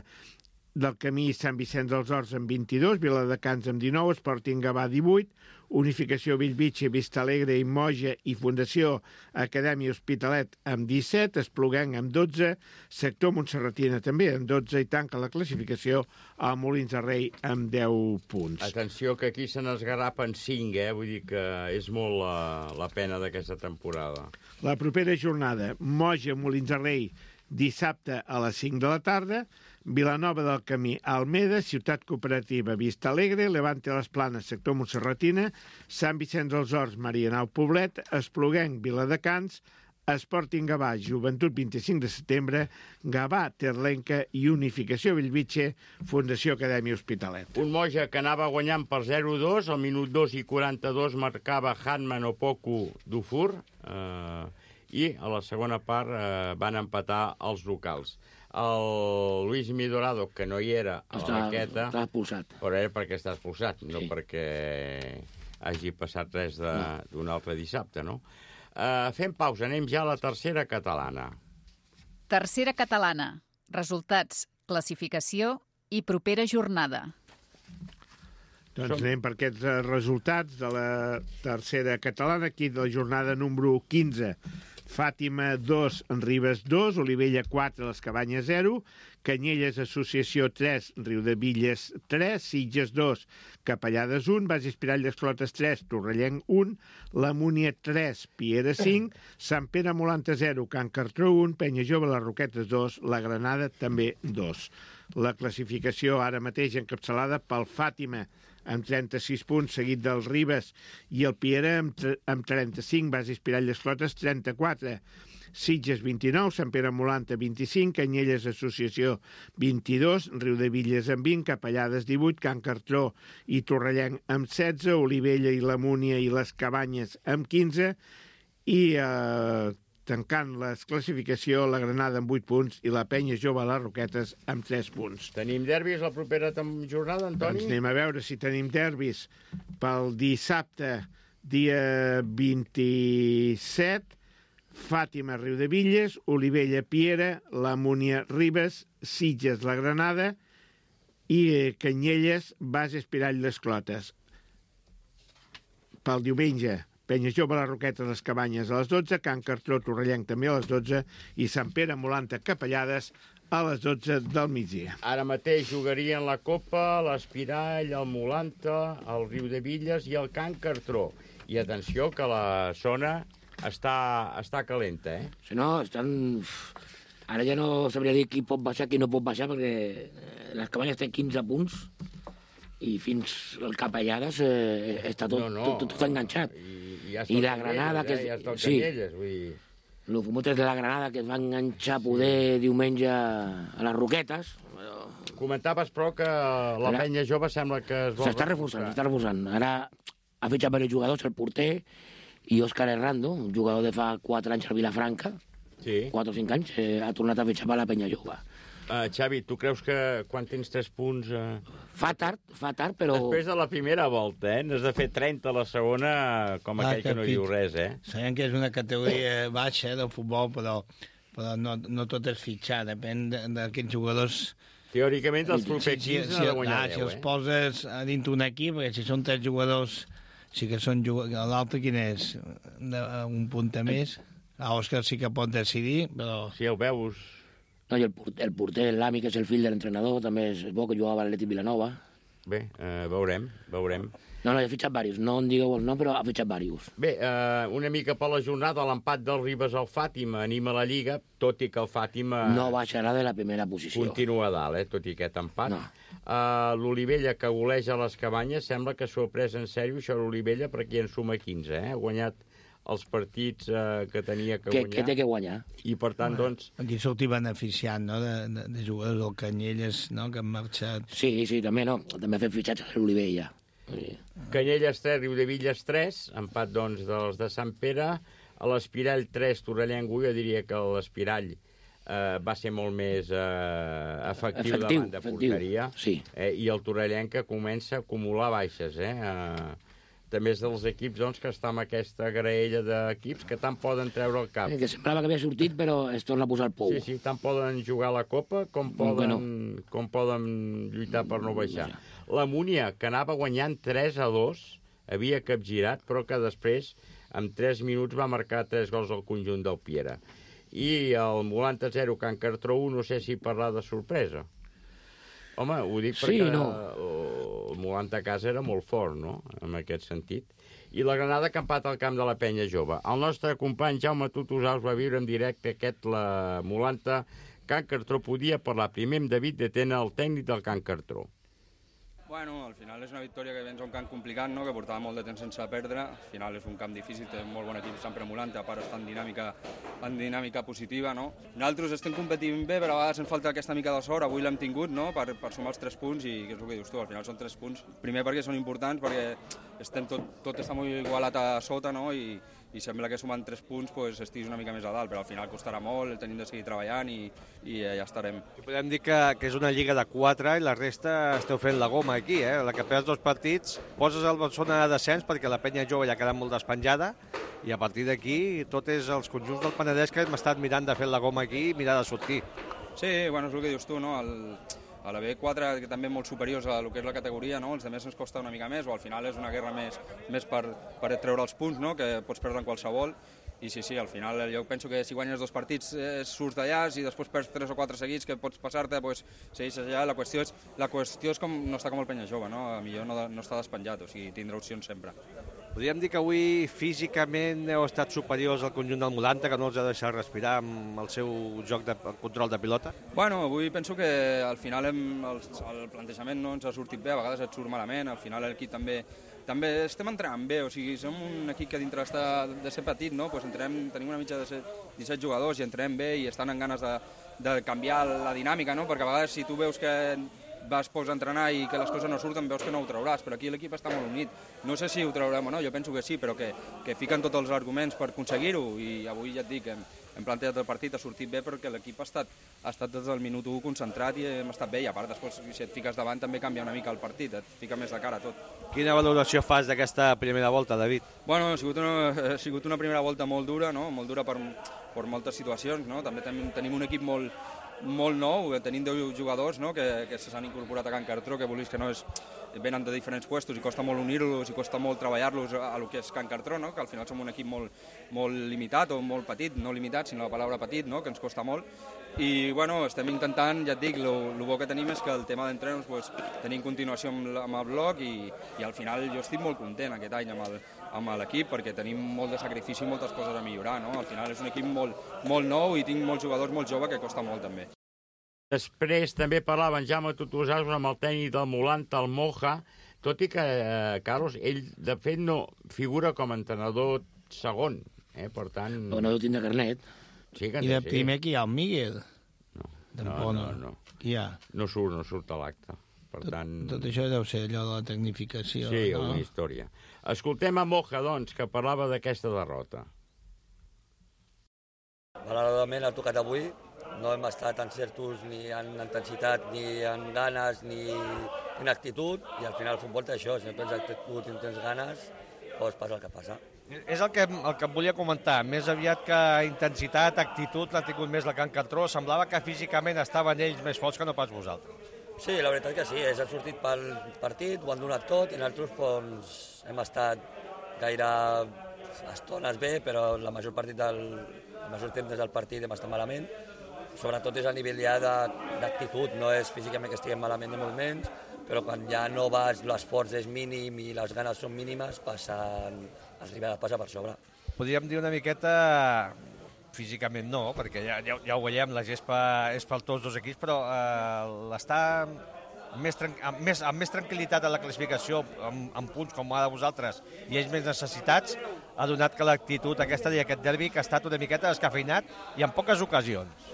del Camí i Sant Vicenç dels Horts amb 22, Viladecans amb 19, Sporting Gavà 18, Unificació Bellvitge, Vista Alegre i Moja i Fundació Acadèmia Hospitalet amb 17, Espluguenc amb 12, Sector Montserratina també amb 12 i tanca la classificació a Molins de Rei amb 10 punts. Atenció que aquí se n'esgarrapen 5, vull dir que és molt la pena d'aquesta temporada. La propera jornada, Moja, Molins de Rei, dissabte a les 5 de la tarda, Vilanova del Camí, Almeda, Ciutat Cooperativa, Vista Alegre, Levante les Planes, Sector Montserratina, Sant Vicenç dels Horts, Marianao Poblet, Espluguenc, Viladecans, Sporting Gavà, Joventut 25 de setembre, Gavà, Terlenca i Unificació Bellvitge, Fundació Acadèmia Hospitalet. Un Moja que anava guanyant per 0-2, al minut 2 i 42 marcava Hanman Opoku Dufour, i a la segona part van empatar els locals. El Luis Midorado, que no hi era a la maqueta... Està expulsat. Però era perquè està expulsat, no perquè hagi passat res d'un altre dissabte, no? Fem pausa, anem ja a la tercera catalana. Tercera catalana. Resultats, classificació i propera jornada. Doncs anem per aquests resultats de la tercera catalana, aquí de la jornada número 15. Fàtima 2, Ribes 2, Olivella 4, Les Cabanyes 0, Canyelles Associació 3, Riudevilles 3, Sitges 2, Capellades 1, Bages Pirall d'Esclotes 3, Torrellenc 1, La Múnia 3, Piera 5, Sant Pere Molanta 0, Can Cartró 1, Penya Jove, Les Roquetes 2, La Granada també 2. La classificació ara mateix encapçalada pel Fàtima, amb 36 punts, seguit del Ribes i el Piera amb 35, Bases Pirall d'Esclotes 34, Sitges 29, Sant Pere Molanta 25, Canyelles Associació 22, Riudevilles amb 20, Capellades 18, Can Cartró i Torrellenc amb 16, Olivella i la Múnia i les Cabanyes amb 15 i tancant la classificació la Granada amb 8 punts i la Penya Jove a les Roquetes amb 3 punts. Tenim derbis la propera jornada, Antoni? Doncs anem a veure si tenim derbis pel dissabte, dia 27, Fàtima, Riudevilles, Olivella, Piera, la Múnia, Ribes, Sitges, la Granada i Canyelles, Bases Pirall d'Esclotes. Pel diumenge, Penya Jove, les Roquetes, les Cabanyes a les 12, Can Cartró, Torrellenc també a les 12 i Sant Pere Molanta, Capellades a les 12 del migdia. Ara mateix jugarien la Copa, l'Espirall, el Molanta, el Riudevilles i el Can Cartró. I atenció que la zona està calenta, Si no, estan... Ara ja no sabria dir qui pot baixar, qui no pot baixar, perquè les Cabanyes tenen 15 punts i fins al Capellades està tot enganxat. I la Granada, que ja està Canyelles, vull dir... Els fumotes de la Granada, que es van enganxar poder diumenge a les Roquetes. Comentaves, però, que la Penya Jove sembla que es vol... S'està reforçant. Ara ha fitxat diversos jugadors, el porter i Òscar Errando, un jugador de fa 4 anys al Vilafranca, 4 o 5 anys, ha tornat a fitxar per la Penya Jove. Xavi, tu creus que quan tens 3 punts... Fa tard, però... Després de la primera volta, n'has de fer 30 a la segona, com aquell que no diu res, Sabem que és una categoria baixa del futbol, però no tot és fitxar, depèn d'aquests jugadors Teòricament, els propers 15 han de guanyar 10, Si els poses a dintre un equip, perquè si són 3 jugadors, sí que són jugadors... L'altre quin és? Un punta més? Òscar sí que pot decidir, però... Si el veus... No, i el porter, l'Ami, que és el fill de l'entrenador, també és bo, que jugava a l'Atlètic Vilanova. Bé, veurem. No, ha fitxat diversos. No en digueu el nom, però ha fitxat diversos. Bé, una mica per la jornada, l'empat del Ribes al Fàtima anima la Lliga, tot i que el Fàtima... No baixarà de la primera posició. Continua a dalt, tot i aquest empat. No. L'Olivella, que goleja les Cabanyes, sembla que s'ho ha pres en sèrio, això l'Olivella, perquè en suma 15, Ha guanyat els partits que tenia que guanyar. Que té que guanyar. I, per tant, doncs... Aquí sortir beneficiant, no?, de jugadors del Canyelles, no?, que han marxat... Sí, també, no? També ha fet fitxatge a l'Olivella. Sí. Canyelles 3, Riudevilles 3, empat, doncs, dels de Sant Pere. A l'Espirall 3, Torrellengo, jo diria que l'Espirall va ser molt més efectiu davant de porteria. Sí. I el Torrellenc que comença a acumular baixes, també és dels equips, doncs, que està amb aquesta graella d'equips que tant poden treure el cap. Que semblava que havia sortit, però es torna a posar el pou. Sí, tant poden jugar a la Copa com poden lluitar per no baixar. La Múnia, que anava guanyant 3-2, havia capgirat, però que després, en 3 minuts, va marcar 3 gols al conjunt del Piera. I el Molanta 0, Can Cartró 1, no sé si parlar de sorpresa. Home, ho dic perquè el Molanta a casa era molt fort, no?, en aquest sentit. I la Granada que empat al camp de la Penya Jove. El nostre company Jaume Tutusaus va viure en directe la Molanta Can Cartró. Podia parlar primer amb David de Tena, el tècnic del Can Cartró. Bueno, al final és una victòria que vens a un camp complicat, no?, que portava molt de temps sense perdre. Al final és un camp difícil, té un molt bon equip sempre Molanta, a part està en dinàmica positiva, no? Nosaltres estem competint bé, però a vegades ens falta aquesta mica de sort. Avui l'hem tingut, no?, per sumar els 3 punts, i que és el que dius tu, al final són 3 punts. Primer perquè són importants, perquè tot està molt igualat a sota, no?, i sembla que sumant 3 punts pues, estiguis una mica més a dalt, però al final costarà molt, tenim de seguir treballant i ja estarem. Podem dir que és una lliga de 4 i la resta esteu fent la goma aquí, La que perds 2 partits, poses el zona de descens perquè la Penya Jove ja queda molt despenjada i a partir d'aquí tot és els conjunts del Penedès que hem estat mirant de fer la goma aquí i mirar de sortir. Sí, bueno, és el que dius tu, no?, a la B4, que també molt superiors a lo que és la categoria, no?, els altres ens costa una mica més, o al final és una guerra més per treure els punts, no?, que pots perdre en qualsevol, i sí, al final jo penso que si guanyes 2 partits surts d'allà, i després perds 3 o 4 seguits que pots passar-te, doncs segueixes allà. La qüestió és com no està com el Penya Jove, no?, a millor no està despenjat, o sigui, tindrà opcions sempre. Podríem dir que avui físicament heu estat superiors al conjunt del Molanta, que no els ha deixat respirar amb el seu joc de control de pilota? Bueno, avui penso que al final el plantejament no ens ha sortit bé, a vegades et surt malament, al final l'equip també estem entrenant bé, o sigui, som un equip que dintre de ser petit, no?, pues tenim una mitja de 17 jugadors i entrenem bé i estan en ganes de canviar la dinàmica, no?, perquè a vegades si tu veus que vas pocs a entrenar i que les coses no surten, veus que no ho trauràs, però aquí l'equip està molt unit. No sé si ho traurem o no, jo penso que sí, però que fiquen tots els arguments per aconseguir-ho, i avui ja et dic, hem plantejat el partit, ha sortit bé perquè l'equip ha estat des del minut 1 concentrat i hem estat bé, i a part després si et fiques davant també canvia una mica el partit, et fica més de cara a tot. Quina valoració fas d'aquesta primera volta, David? Bueno, ha sigut una primera volta molt dura, no?, molt dura per moltes situacions, no?, també tenim un equip molt nou, tenim 10 jugadors, no?, que s'han incorporat a Can Cartró, que vulguis que no venen de diferents puestos i costa molt unir-los i costa molt treballar-los a lo que és Can Cartró, no?, que al final som un equip molt limitat o molt petit, no limitat, sinó la paraula petit, no?, que ens costa molt. I bueno, estem intentant, ja et dic, el bo que tenim és que el tema d'entrenos tenim continuació amb el bloc i al final jo estic molt content aquest any amb l'equip perquè tenim molt de sacrifici i moltes coses a millorar, no? Al final és un equip molt nou i tinc molts jugadors molt joves que costa molt també. Després també parlava en Jaume Tutusaus amb el tècnic del Molanta, el Moja, tot i que, Carlos, ell de fet no figura com a entrenador segon, per tant... Però no deu tindre carnet. Sí, I de primer qui hi ha, el Miguel? No. Qui hi ha? No surt a l'acte. Per tant... Tot això deu ser allò de la tecnificació. Sí, una història. Escoltem a Moja, doncs, que parlava d'aquesta derrota. Malauradament ha tocat avui. No hem estat en certos ni en intensitat, ni en ganes, ni en actitud. I al final el futbol té això. Si no tens actitud i no tens ganes, doncs passa el que passa. És el que em volia comentar. Més aviat que intensitat, actitud, l'ha tingut més la Can Cartró. Semblava que físicament estaven ells més forts que no pas vosaltres. Sí, la veritat que sí. Ells han sortit pel partit, ho han donat tot, i nosaltres doncs, hem estat gaire estones bé, però la major temps del partit hem estat malament. Sobretot és a nivell ja d'actitud, no és físicament que estiguem malament ni molt menys, però quan ja no vas, l'esforç és mínim i les ganes són mínimes, el rival passa per sobre. Podríem dir una miqueta, físicament no, perquè ja ho veiem, la gespa és per tots dos equips, però l'està amb més tranquil·litat a la classificació, amb punts com ara vosaltres, i ells més necessitats, ha donat que l'actitud aquesta d'aquest derbi que ha estat una miqueta descafeinat i en poques ocasions.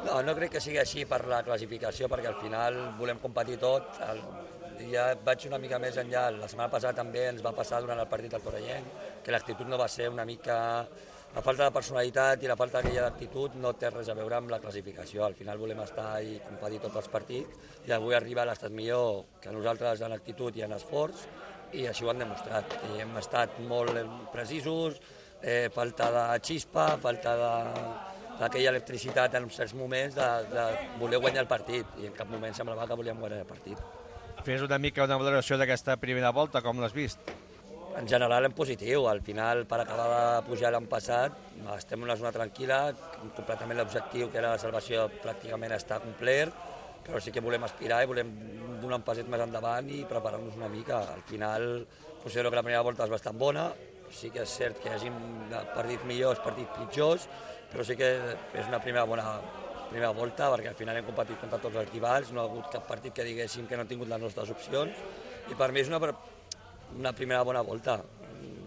No crec que sigui així per la classificació, perquè al final volem competir tot. Ja vaig una mica més enllà. La setmana passada també ens va passar durant el partit del Torrellent, que l'actitud no va ser una mica... La falta de personalitat i la falta d'aquella d'actitud no té res a veure amb la classificació. Al final volem estar i competir tots els partits i avui arriba l'ha estat millor que nosaltres en actitud i en esforç, i així ho han demostrat. I hem estat molt precisos, falta de xispa, falta d'aquella electricitat en certs moments de voler guanyar el partit, i en cap moment semblava que volíem guanyar el partit. Fes una mica una valoració d'aquesta primera volta, com l'has vist? En general en positiu, al final per acabar de pujar l'any passat estem en una zona tranquil·la, completament l'objectiu que era la salvació pràcticament està complert, però sí que volem aspirar i volem donar un passet més endavant i preparar-nos una mica. Al final considero que la primera volta és bastant bona, sí que és cert que hi hagin partits millors, partits pitjors, però sí que és una primera volta, perquè al final hem competit contra tots els rivals, no ha hagut cap partit que diguéssim que no ha tingut les nostres opcions, i per mi és una primera bona volta.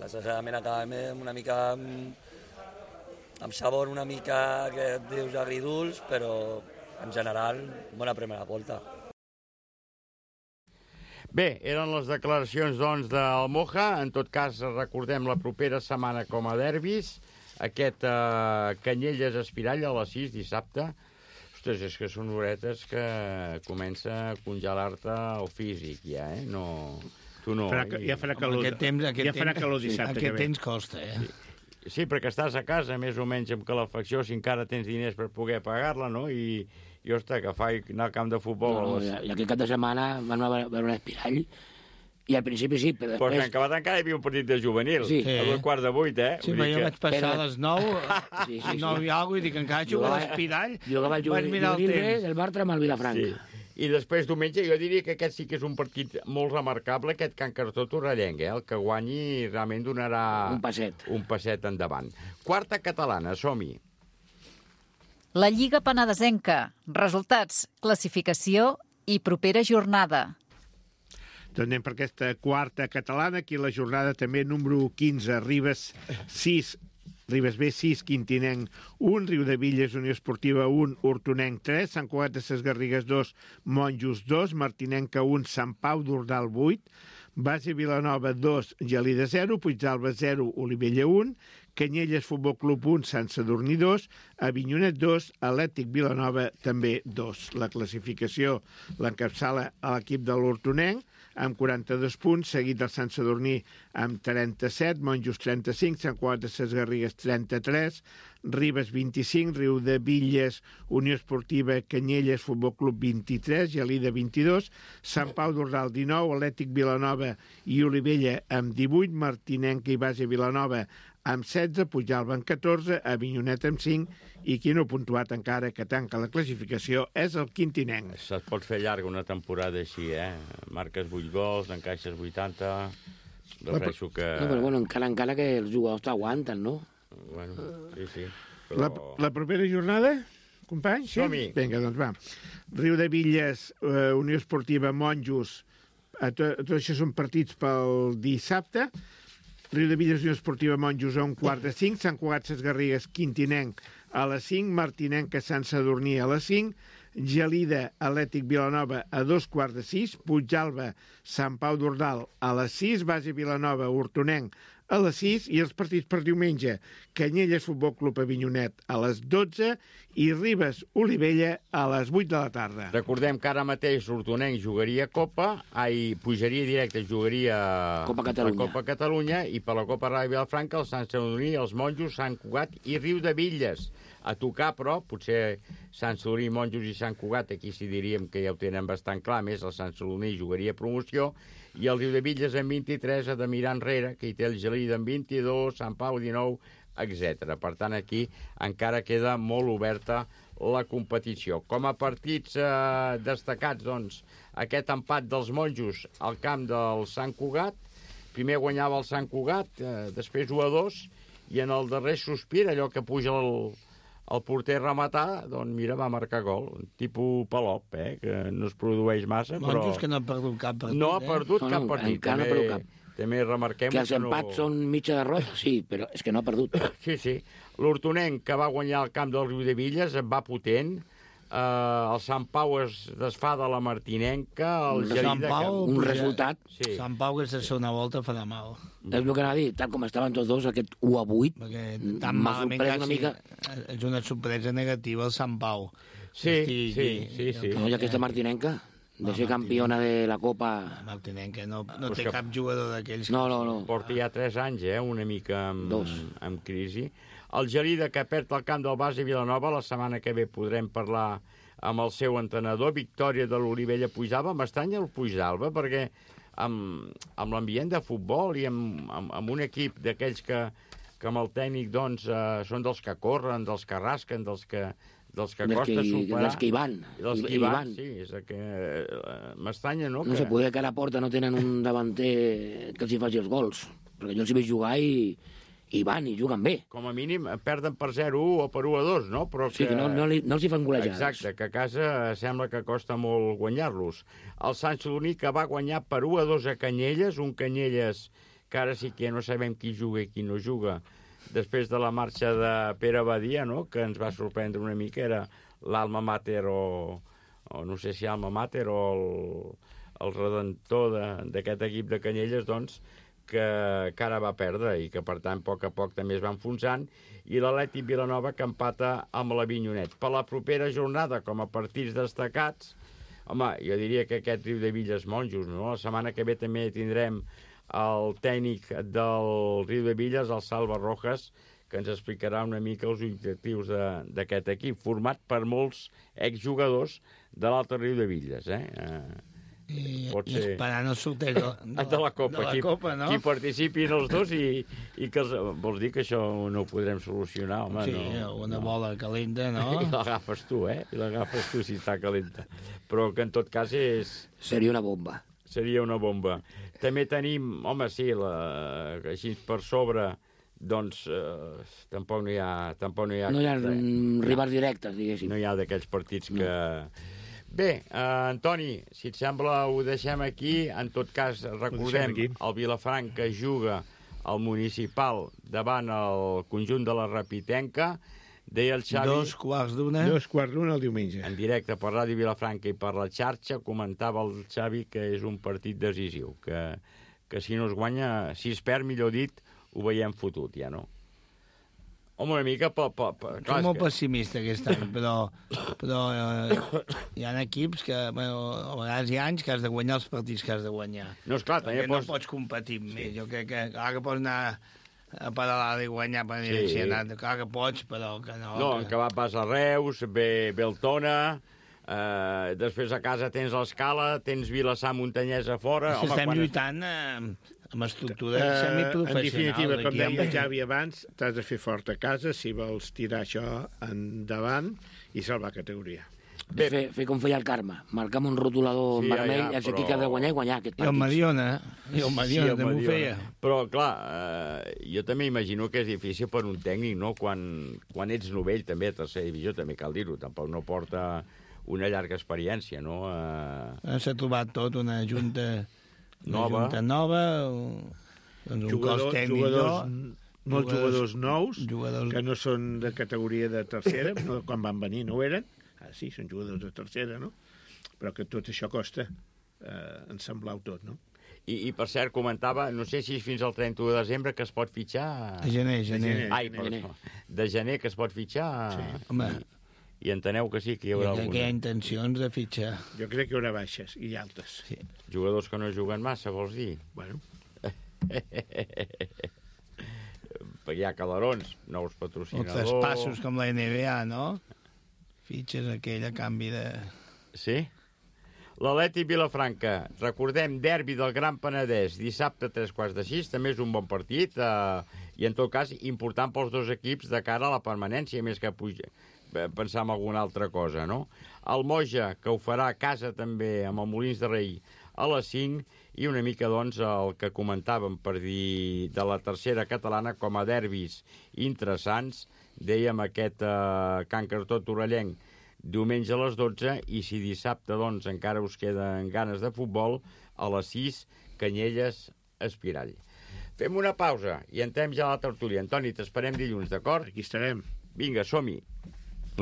Desgraciadament acabem una mica amb sabor una mica que dius agridulç, però en general bona primera volta. Bé, eren les declaracions doncs del Moja. En tot cas, recordem la propera setmana com a derbis, aquest Canyelles Espirall a les 6 dissabte. Ostres, és que són horetes que comença a congelar-te el físic ja, No... Tu no. Ja farà calor. Ja farà calor dissabte. Aquest temps costa, Sí, perquè estàs a casa, més o menys amb calefacció, si encara tens diners per poder pagar-la, no? I ostres, que fa anar al camp de futbol. I aquest cap de setmana van a veure l'Espirall, i al principi sí, però després... Però en acabat encara hi havia un partit de juvenil, a 7:15, Sí, però jo vaig passar a les 9, 9 i alguna cosa, i dic, encara jugo a l'Espirall, vaig mirar el temps. El Bartra amb el Vilafranca. I després diumenge jo diria que aquest sí que és un partit molt remarcable, aquest Can Cartró Torrellenc, el que guanyi realment donarà un passet endavant. Quarta catalana, som-hi. La Lliga Penedesenca. Resultats, classificació i propera jornada. Doncs anem per aquesta quarta catalana, aquí la jornada també número 15, Ribes 6, Ribes B 6, Quintinenc 1, Riudevilles Unió Esportiva 1, Hortonenc 3, Sant Cugat de Ses Garrigues 2, Monjos 2, Martinenca 1, Sant Pau d'Ordal 8, Base Vilanova 2, Gelida 0, Puigdàlber 0, Olivella 1, Canyelles Futbol Club 1, Sant Sadurní 2, Avinyonet 2, Atlètic Vilanova també 2. La classificació l'encapçala a l'equip de l'Hortonenc, amb 42 punts, seguit del Sant Sadurní amb 37, Monjos 35, Sant Cugat de Ses Garrigues 33, Ribes 25, Riudevilles Unió Esportiva Canyelles Futbol Club 23, Gelida 22, Sant Pau d'Ordal 19, Atlètic Vilanova i Olivella amb 18, Martinenca i Base Vilanova amb 16, Puigdàlber amb 14, Avinyonet amb 5, i qui no ha puntuat encara que tanca la classificació és el Quintinenc. Se't pot fer llarga una temporada així, Marques 8 gols, n'encaixes 80... Refereixo que... No, però bueno, encara que els jugadors t'aguanten, no? Bueno, sí. Però... La propera jornada, companys? Sí? Som-hi. Vinga, doncs va. Riudevilles, Unió Esportiva, Monjos, tot això són partits pel dissabte. Riudevilles, Unió Esportiva, Monjos a 1:45, Sant Cugat Ses Garrigues, Quintinenc a les 5, Martinenca, Sant Sadurní a les 5, Gelida, Atlètic Vilanova a 2:15, Puigdàlber, Sant Pau d'Ordal a les 6, Base Vilanova, Hortonenc a les 6 i els partits per diumenge. Canyelles Futbol Club Avinyonet a les 12 i Ribes Olivella a les 8 de la tarda. Recordem que ara mateix l'Hortonenc jugaria pujaria directe, jugaria Copa Catalunya. la Copa Catalunya, i per la Copa Ràdio Vilafranca el Sant Sadurní, els Monjos, Sant Cugat i Riudebitlles. A tocar, però, potser Sant Sadurní, Monjos i Sant Cugat, aquí sí diríem que ja ho tenen bastant clar, més el Sant Sadurní jugaria promoció, i el Riudebitlles en 23 ha de mirar enrere, que hi té el Gelida en 22, Sant Pau 19, etc. Per tant, aquí encara queda molt oberta la competició. Com a partits destacats, doncs, aquest empat dels Monjos al camp del Sant Cugat. Primer guanyava el Sant Cugat, després 1-2, i en el darrer sospir, allò que puja el porter rematar, doncs mira, va marcar gol. Un tipus Palop, que no es produeix massa, però... Monjos que no ha perdut cap partit. No ha perdut cap partit. Encara no ha perdut cap. També remarquem que els empats són mitja derrota, sí, però és que no ha perdut. Sí. L'Hortonenc, que va guanyar el camp del Riudebitlles, va potent. El Sant Pau es desfà de la Martinenca. El Sant Pau, un resultat. Sí. Sant Pau, aquesta segona volta farà mal. És el que anava a dir, tal com estaven tots dos, aquest 1-8, m'ha sorprès una mica. És una sorpresa negativa el Sant Pau. Sí. No, i aquesta Martinenca, de ser campiona de la Copa... Martinenca no té cap jugador d'aquells... No. Porta ja 3 anys, una mica amb crisi. El Gelida, que perd el camp del Base Vilanova, la setmana que ve podrem parlar amb el seu entrenador. Victòria de l'Olivella Puigdalba. M'estranya el Puigdalba, perquè amb l'ambient de futbol i amb un equip d'aquells que amb el tècnic doncs, són dels que corren, dels que rasquen, dels que costa superar. Dels que hi van. Sí, és que m'estranya, no? No sé, poder que a la porta no tenen un davanter que els hi faci els gols, perquè jo els hi veig jugar i van, i juguen bé. Com a mínim perden per 0-1 o per 1-2, no? Però sí, que no els hi fan golejades. Exacte, que a casa sembla que costa molt guanyar-los. El Sant Sadurní, que va guanyar per 1-2 a Canyelles, un Canyelles que ara sí que no sabem qui juga i qui no juga, després de la marxa de Pere Badia, no?, que ens va sorprendre una mica, era l'alma mater o no sé si alma mater o el redentor d'aquest equip de Canyelles, doncs, que ara va perdre i que, per tant, a poc també es va enfonsant, i l'Atlètic Vilanova, que empata amb l'Avinyonet. Per la propera jornada, com a partits destacats, home, jo diria que aquest Riudebitlles Monjos, no? La setmana que ve també tindrem el tècnic del Riudebitlles, el Salva Rojas, que ens explicarà una mica els objectius d'aquest equip, format per molts exjugadors de l'Alta Riudebitlles, I esperant el sorteig de la Copa, no? Qui participin els dos i que vols dir que això no ho podrem solucionar, home, sí, no. Una bola calenta, no? I l'agafes tu, I l'agafes tu si està calenta. Però que en tot cas seria una bomba. Seria una bomba. També tenim, home, sí, així per sobre, doncs tampoc no hi ha... No hi ha rivals directes, diguéssim. No hi ha d'aquells partits que... Bé, Antoni, si et sembla ho deixem aquí. En tot cas, recordem, el Vilafranca que juga al Municipal davant el conjunt de la Rapitenca. Deia el Xavi... 2:15. 2:15 el diumenge. En directe per Ràdio Vilafranca i per la xarxa, comentava el Xavi que és un partit decisiu, que si no es guanya, si es perd, millor dit, ho veiem fotut, ja, no? Home, una mica... Soc molt pessimista aquest any, però hi ha equips que, bueno, a vegades hi ha anys que has de guanyar els partits que has de guanyar. No, esclar, també no pots competir amb ells. Jo crec que clar que pots anar a Paralada i guanyar per clar que pots, però que no. No, que va pas a Reus, ve el Tona, després a casa tens l'Escala, tens Vilassar, Montanyès a fora... Estem lluitant amb estructura semiprofessional. En definitiva, com deia Javi abans, t'has de fer fort a casa si vols tirar això endavant i salvar categoria. Bé, fer com feia el Carme, marcar amb un rotulador vermell, és aquí que ha de guanyar i guanyar aquest partit. I el Mediona també ho feia. Però, clar, jo també imagino que és difícil per un tècnic, no? Quan ets novell, també a tercera divisió, també cal dir-ho, tampoc no porta una llarga experiència, no? S'ha trobat tot, una junta nova, doncs un cos tècnic molts jugadors nous, que no són de categoria de tercera, no, quan van venir no ho eren, sí, són jugadors de tercera, no? Però que tot això costa ensamblar-ho tot, no? I per cert, comentava, no sé si és fins al 31 de desembre que es pot fitxar... De gener. Ai, perdó. De gener que es pot fitxar... Sí. Home... I enteneu que sí, que hi haurà alguna. Que hi ha intencions de fitxar. Jo crec que hi haurà baixes i altes. Sí. Jugadors que no juguen massa, vols dir? Bueno. Hi ha calarons, nous patrocinadors... Uns passos com la NBA, no? Fitxes aquell a canvi de... Sí? L'Atlètic Vilafranca, recordem, derbi del Gran Penedès, dissabte 3:15, també és un bon partit, i en tot cas important pels dos equips de cara a la permanència, més que pensar en alguna altra cosa, no? El Moja, que ho farà a casa també amb el Molins de Rei a les 5, i una mica, doncs, el que comentàvem per dir de la tercera catalana com a derbis interessants, dèiem aquest Can Cartó Torellenc diumenge a les 12, i si dissabte, doncs, encara us queden ganes de futbol, a les 6, Canyelles Espirall. Fem una pausa i entrem ja a la tertúlia. Antoni, t'esperem dilluns, d'acord? Aquí estarem. Vinga, som-hi.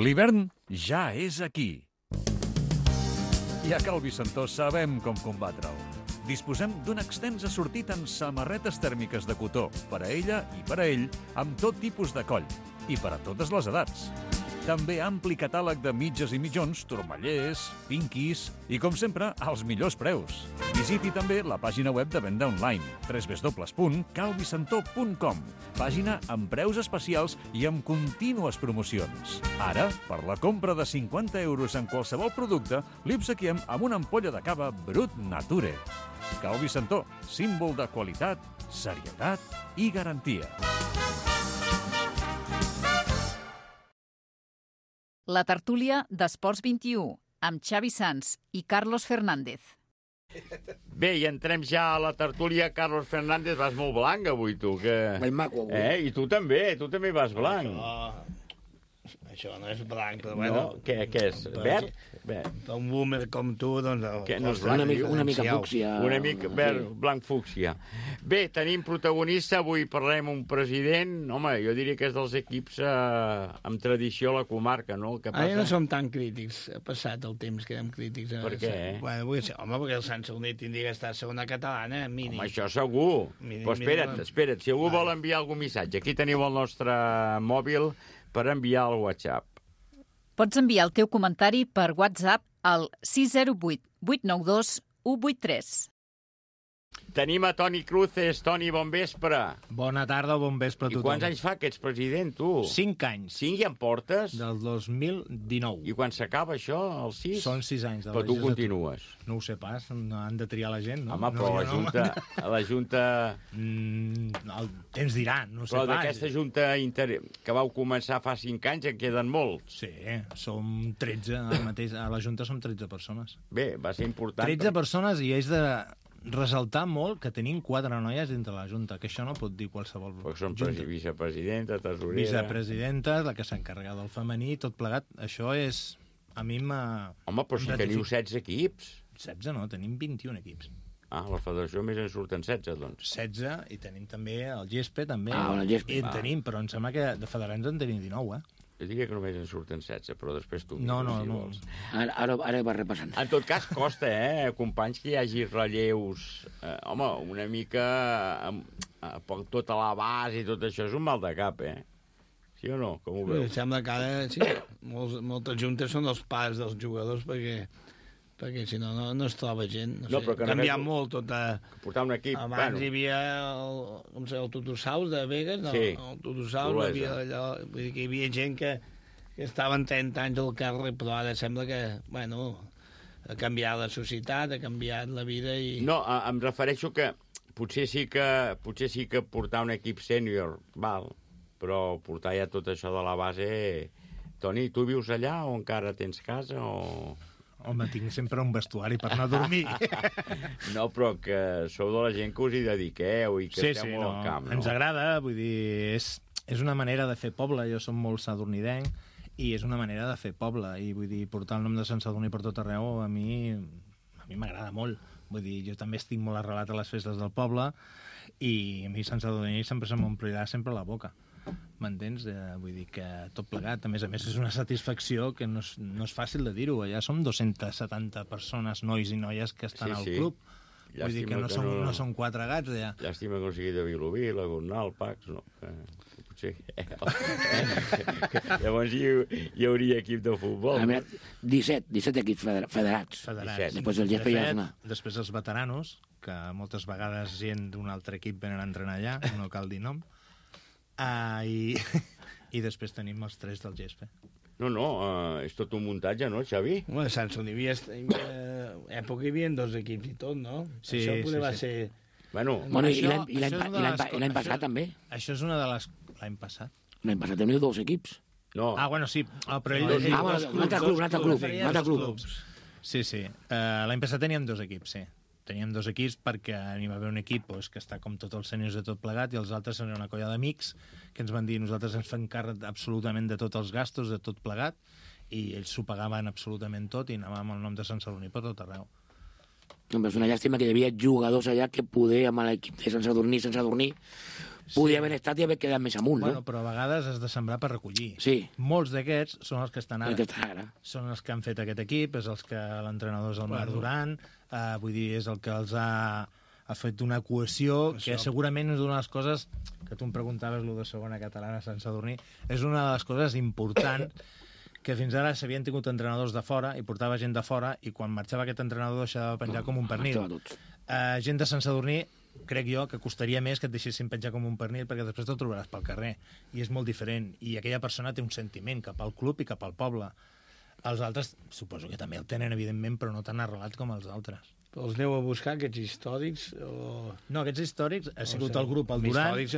L'hivern ja és aquí. I a Cal Vicentó sabem com combatre'l. Disposem d'un extens assortit en samarretes tèrmiques de cotó, per a ella i per a ell, amb tot tipus de coll, i per a totes les edats. També ampli catàleg de mitges i mitjons, turmallers, pinquis i, com sempre, als millors preus. Visiti també la pàgina web de venda online, www.calvicentó.com, pàgina amb preus especials i amb contínues promocions. Ara, per la compra de 50 euros en qualsevol producte, li obsequiem amb una ampolla de cava Brut Nature. Cal Vicentó, símbol de qualitat, serietat i garantia. La tertúlia d'Esports 21, amb Xavi Sans i Carlos Fernández. Bé, i entrem ja a la tertúlia. Carlos Fernández, vas molt blanc avui, tu. Que... Vaig maco avui. I tu també vas blanc. Això no és blanc, però bueno... No? Què és? Verd? Per un boomer com tu, doncs... No és blanc, una mica fúcsia. Una mica verd, blanc fúcsia. Bé, tenim protagonista. Avui parlem un president... Home, jo diria que és dels equips amb tradició a la comarca, no? Ara no som tan crítics. Ha passat el temps que érem crítics. Per què? Bueno, perquè el Sant Sadurní tindria que estar a segona catalana, mínim. Home, això segur. Però espera't. Si algú vol enviar algun missatge, aquí teniu el nostre mòbil per enviar al WhatsApp. Pots enviar el teu comentari per WhatsApp al 608 892 183. Tenim a Toni Cruces. Toni, bon vespre. Bona tarda o bon vespre a tothom. I quants anys fa que ets president, tu? 5 anys. 5 ja en portes? Del 2019. I quan s'acaba això, els 6? Són 6 anys. Però tu continues. No ho sé pas, no han de triar la gent, no? Home, però la Junta... El temps dirà, no sé pas. Però d'aquesta Junta que vau començar fa 5 anys en queden molts. Sí, som 13, ara mateix. A la Junta som 13 persones. Bé, va ser important. 13 persones i és de... resaltar molt que tenim 4 noies dintre la Junta, que això no pot dir qualsevol Junta. Són vicepresidenta, tesorera... Vicepresidenta, la que s'encarrega del femení, tot plegat. Això és... A mi m'ha... Home, però si teniu 16 equips. 16 no, tenim 21 equips. Ah, la federació més en surten 16, doncs. 16, i tenim també el GESPE, també. El GESPE. I en tenim, però em sembla que de federats en tenim 19, Jo diria que només en surten 16, però després tu... No. Ara va repassant. En tot cas, costa, companys, que hi hagi relleus... home, una mica... per tota la base i tot això és un mal de cap, Sí o no? Com ho veus? Em sembla que ara, sí, moltes juntes són els pares dels jugadors perquè si no es troba gent. No sé, ha canviat molt tot. Portar un equip... Abans hi havia el Tutusaus de Vegas, no? Sí. El Tutusaus, hi havia gent que estaven 30 anys al carrer, però ara sembla que, ha canviat la societat, ha canviat la vida i... No, em refereixo que potser sí que portar un equip sènior, val, però portar ja tot això de la base... Toni, tu vius allà o encara tens casa o... Home, tinc sempre un vestuari per anar a dormir. No, però que sou de la gent que us hi dediqueu i que esteu molt al camp, no? Ens agrada, vull dir, és una manera de fer poble. Jo som molt sadurnidenc i és una manera de fer poble. I vull dir, portar el nom de Sant Sadurní per tot arreu a mi m'agrada molt. Vull dir, jo també estic molt arrelat a les festes del poble i a mi Sant Sadurní sempre se m'omplirà sempre la boca. M'entens? Vull dir que tot plegat, a més, és una satisfacció que no és fàcil de dir-ho. Allà som 270 persones, nois i noies, que estan al club. Vull dir que no són 4 gats, ja. Llàstima que no sigui de Vilobí, la Gornal, Pax, no. Potser... Llavors hi hauria equip de futbol. 17 equips federats. Després el Gespa ja és després els veteranos, que moltes vegades gent d'un altre equip venen a entrenar allà, no cal dir nom, i després tenim els 3 del Gespa. No, és tot un muntatge, no, Xavi? Bueno, a Sant Celoni hi època hi havia 2 equips i tot, no? Sí, això poder va ser... Bueno, i l'any passat també. Això és una de les... L'any passat? L'any passat teniu 2 equips. No. Bueno, sí, però un altre club. Sí. L'any passat teníem 2 equips, sí. Teníem 2 equips perquè hi va haver un equip que està com tots els sèniors de tot plegat i els altres són una colla d'amics que ens van dir nosaltres ens fem càrrec absolutament de tots els gastos, de tot plegat, i ells s'ho pagaven absolutament tot i anàvem amb el nom de Sant Sadurní per tot arreu. És una llàstima que hi havia jugadors allà que poder amb l'equip de Sant Sadurní podia haver estat i haver quedat més amunt, no? Però a vegades has de sembrar per recollir. Sí. Molts d'aquests són els que estan ara. Són els que han fet aquest equip, és els que l'entrenador és el Marc Duran, vull dir, és el que els ha fet una cohesió, que segurament és una de les coses que tu em preguntaves, lo de segona catalana a Sant Sadurní, és una de les coses importants que fins ara s'havien tingut entrenadors de fora i portava gent de fora i quan marxava aquest entrenador deixava de penjar com un pernil. Gent de Sant Sadurní crec jo que costaria més que et deixessin penjar com un pernil perquè després te'l trobaràs pel carrer i és molt diferent i aquella persona té un sentiment cap al club i cap al poble. Els altres suposo que també el tenen evidentment però no tan arrelat com els altres. Els aneu a buscar aquests històrics? No, aquests històrics ha sigut el grup el Duran. Històrics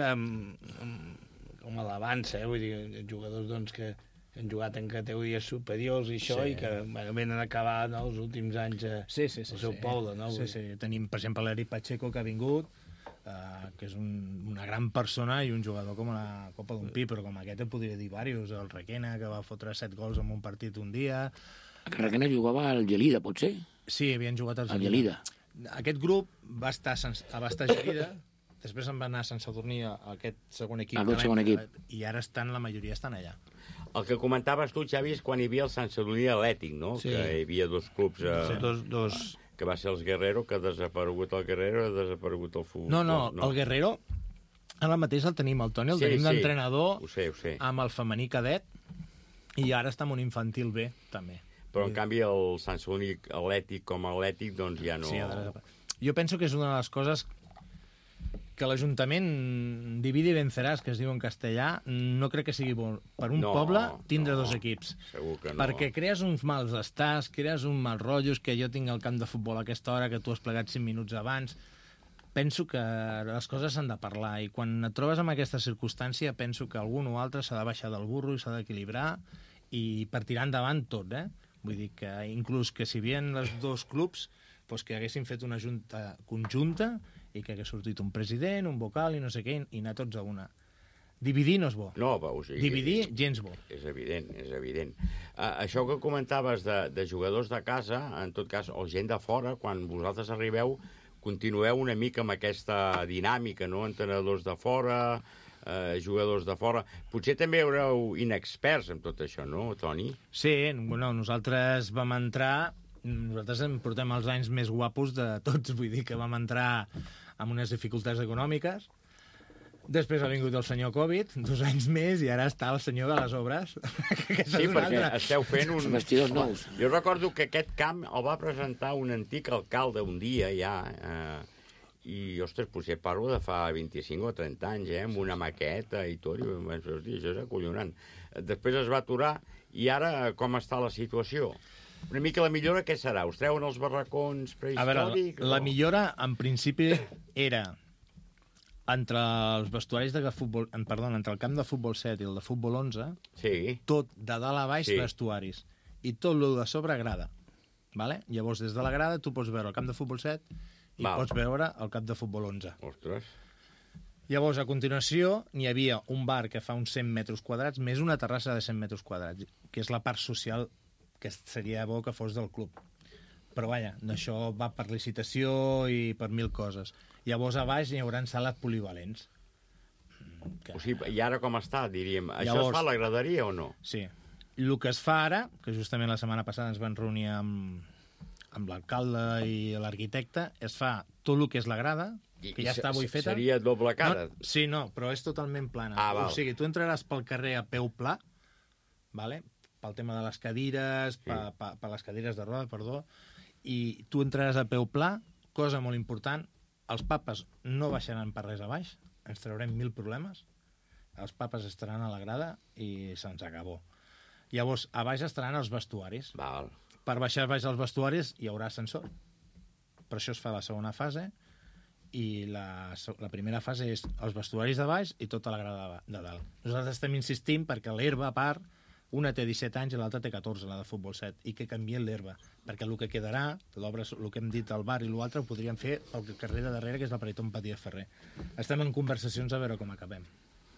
com a l'avança, vull dir, jugadors doncs que han jugat en categories superiors i això, i que venen a acabar els últims anys al seu poble. Sí. Tenim, per exemple, l'Eric Pacheco, que ha vingut, que és una gran persona i un jugador com la Copa d'un Pi, però com aquest en podria dir diversos. El Requena, que va fotre 7 gols en un partit un dia. El Requena jugava al Gelida, potser? Sí, havien jugat al Gelida. Aquest grup va estar a Gelida, després en va anar a Sant Sadurní, a aquest segon equip. I ara la majoria estan allà. El que comentaves tu, Xavi, és quan hi havia el Sant Sadurní Atlètic, no? Sí. Que hi havia 2 clubs... que va ser els Guerrero, que ha desaparegut el Guerrero, ha desaparegut el futbol. No, el Guerrero, ara mateix el tenim, el Toni, el tenim d'entrenador amb el femení cadet, i ara està amb un infantil B, també. Però, en canvi, el Sant Sadurní Atlètic com a Atlètic, doncs ja no... Sí, jo penso que és una de les coses que l'Ajuntament divide i venceràs, que es diu en castellà, no crec que sigui bo per un poble tindre 2 equips. Segur que no. Perquè crees uns mals estats, crees un mal rotllos, que jo tinc el camp de futbol a aquesta hora, que tu has plegat 5 minuts abans. Penso que les coses s'han de parlar, i quan et trobes en aquesta circumstància penso que algun o altre s'ha de baixar del burro i s'ha d'equilibrar, i per tirar endavant tot, Vull dir que inclús que si hi havia els 2 clubs, doncs que haguessin fet una junta conjunta i que hagués sortit un president, un vocal i no sé què, i anar tots a una. Dividir no és bo. No, o sigui, dividir, gens bo. És evident. Això que comentaves de jugadors de casa, en tot cas, o gent de fora, quan vosaltres arribeu, continueu una mica amb aquesta dinàmica, no? Entrenadors de fora, jugadors de fora. Potser també haureu inexperts en tot això, no, Toni? Sí, nosaltres vam entrar... Nosaltres portem els anys més guapos de tots, vull dir que vam entrar amb unes dificultats econòmiques. Després ha vingut el senyor Covid, 2 anys més, i ara està el senyor de les obres. Sí, perquè esteu fent un... Vestidors nous. Jo recordo que aquest camp el va presentar un antic alcalde un dia ja, i, ostres, potser parlo de fa 25 o 30 anys, amb una maqueta i tot, i vaig dir, hòstia, això és acollonant. Després es va aturar, i ara com està la situació? Una mica la millora, què serà? Us treuen els barracons prehistòrics? A veure, la millora, en principi, era entre els vestuaris de futbol... Perdó, entre el camp de futbol 7 i el de futbol 11, tot de dalt a baix vestuaris. I tot el de sobre grada. Vale? Llavors, des de la grada, tu pots veure el camp de futbol 7 i pots veure el camp de futbol 11. Ostres. Llavors, a continuació, n'hi havia un bar que fa uns 100 metres quadrats, més una terrassa de 100 metres quadrats, que és la part social que seria bo que fos del club. Però, vaja, això va per licitació i per 1000 coses. Llavors, a baix hi haurà sales polivalents. O sigui, i ara com està, diríem? Això es fa a la graderia o no? Sí. El que es fa ara, que justament la setmana passada ens van reunir amb amb l'alcalde i l'arquitecte, es fa tot el que és la grada, que ja està avui feta. Seria doble cara? No, sí, no, però és totalment plana. Val. O sigui, tu entraràs pel carrer a peu pla, vale? Pel tema de les cadires, per les cadires de roda, perdó, i tu entraràs a peu pla, cosa molt important, els papes no baixaran per res a baix, ens traurem 1000 problemes, els papes estaran a la grada i se'ns acabó. Llavors, a baix estaran els vestuaris. Val. Per baixar baix als vestuaris hi haurà ascensor. Per això es fa la segona fase, i la primera fase és els vestuaris de baix i tota la grada de dalt. Nosaltres estem insistint perquè l'herba, a part, una té 17 anys i l'altra té 14, la de futbol 7, i que canvien l'herba, perquè el que quedarà, l'obra, el que hem dit al bar i l'altre, ho podríem fer pel carrer de darrere, que és la Periton Patia Ferrer. Estem en conversacions a veure com acabem.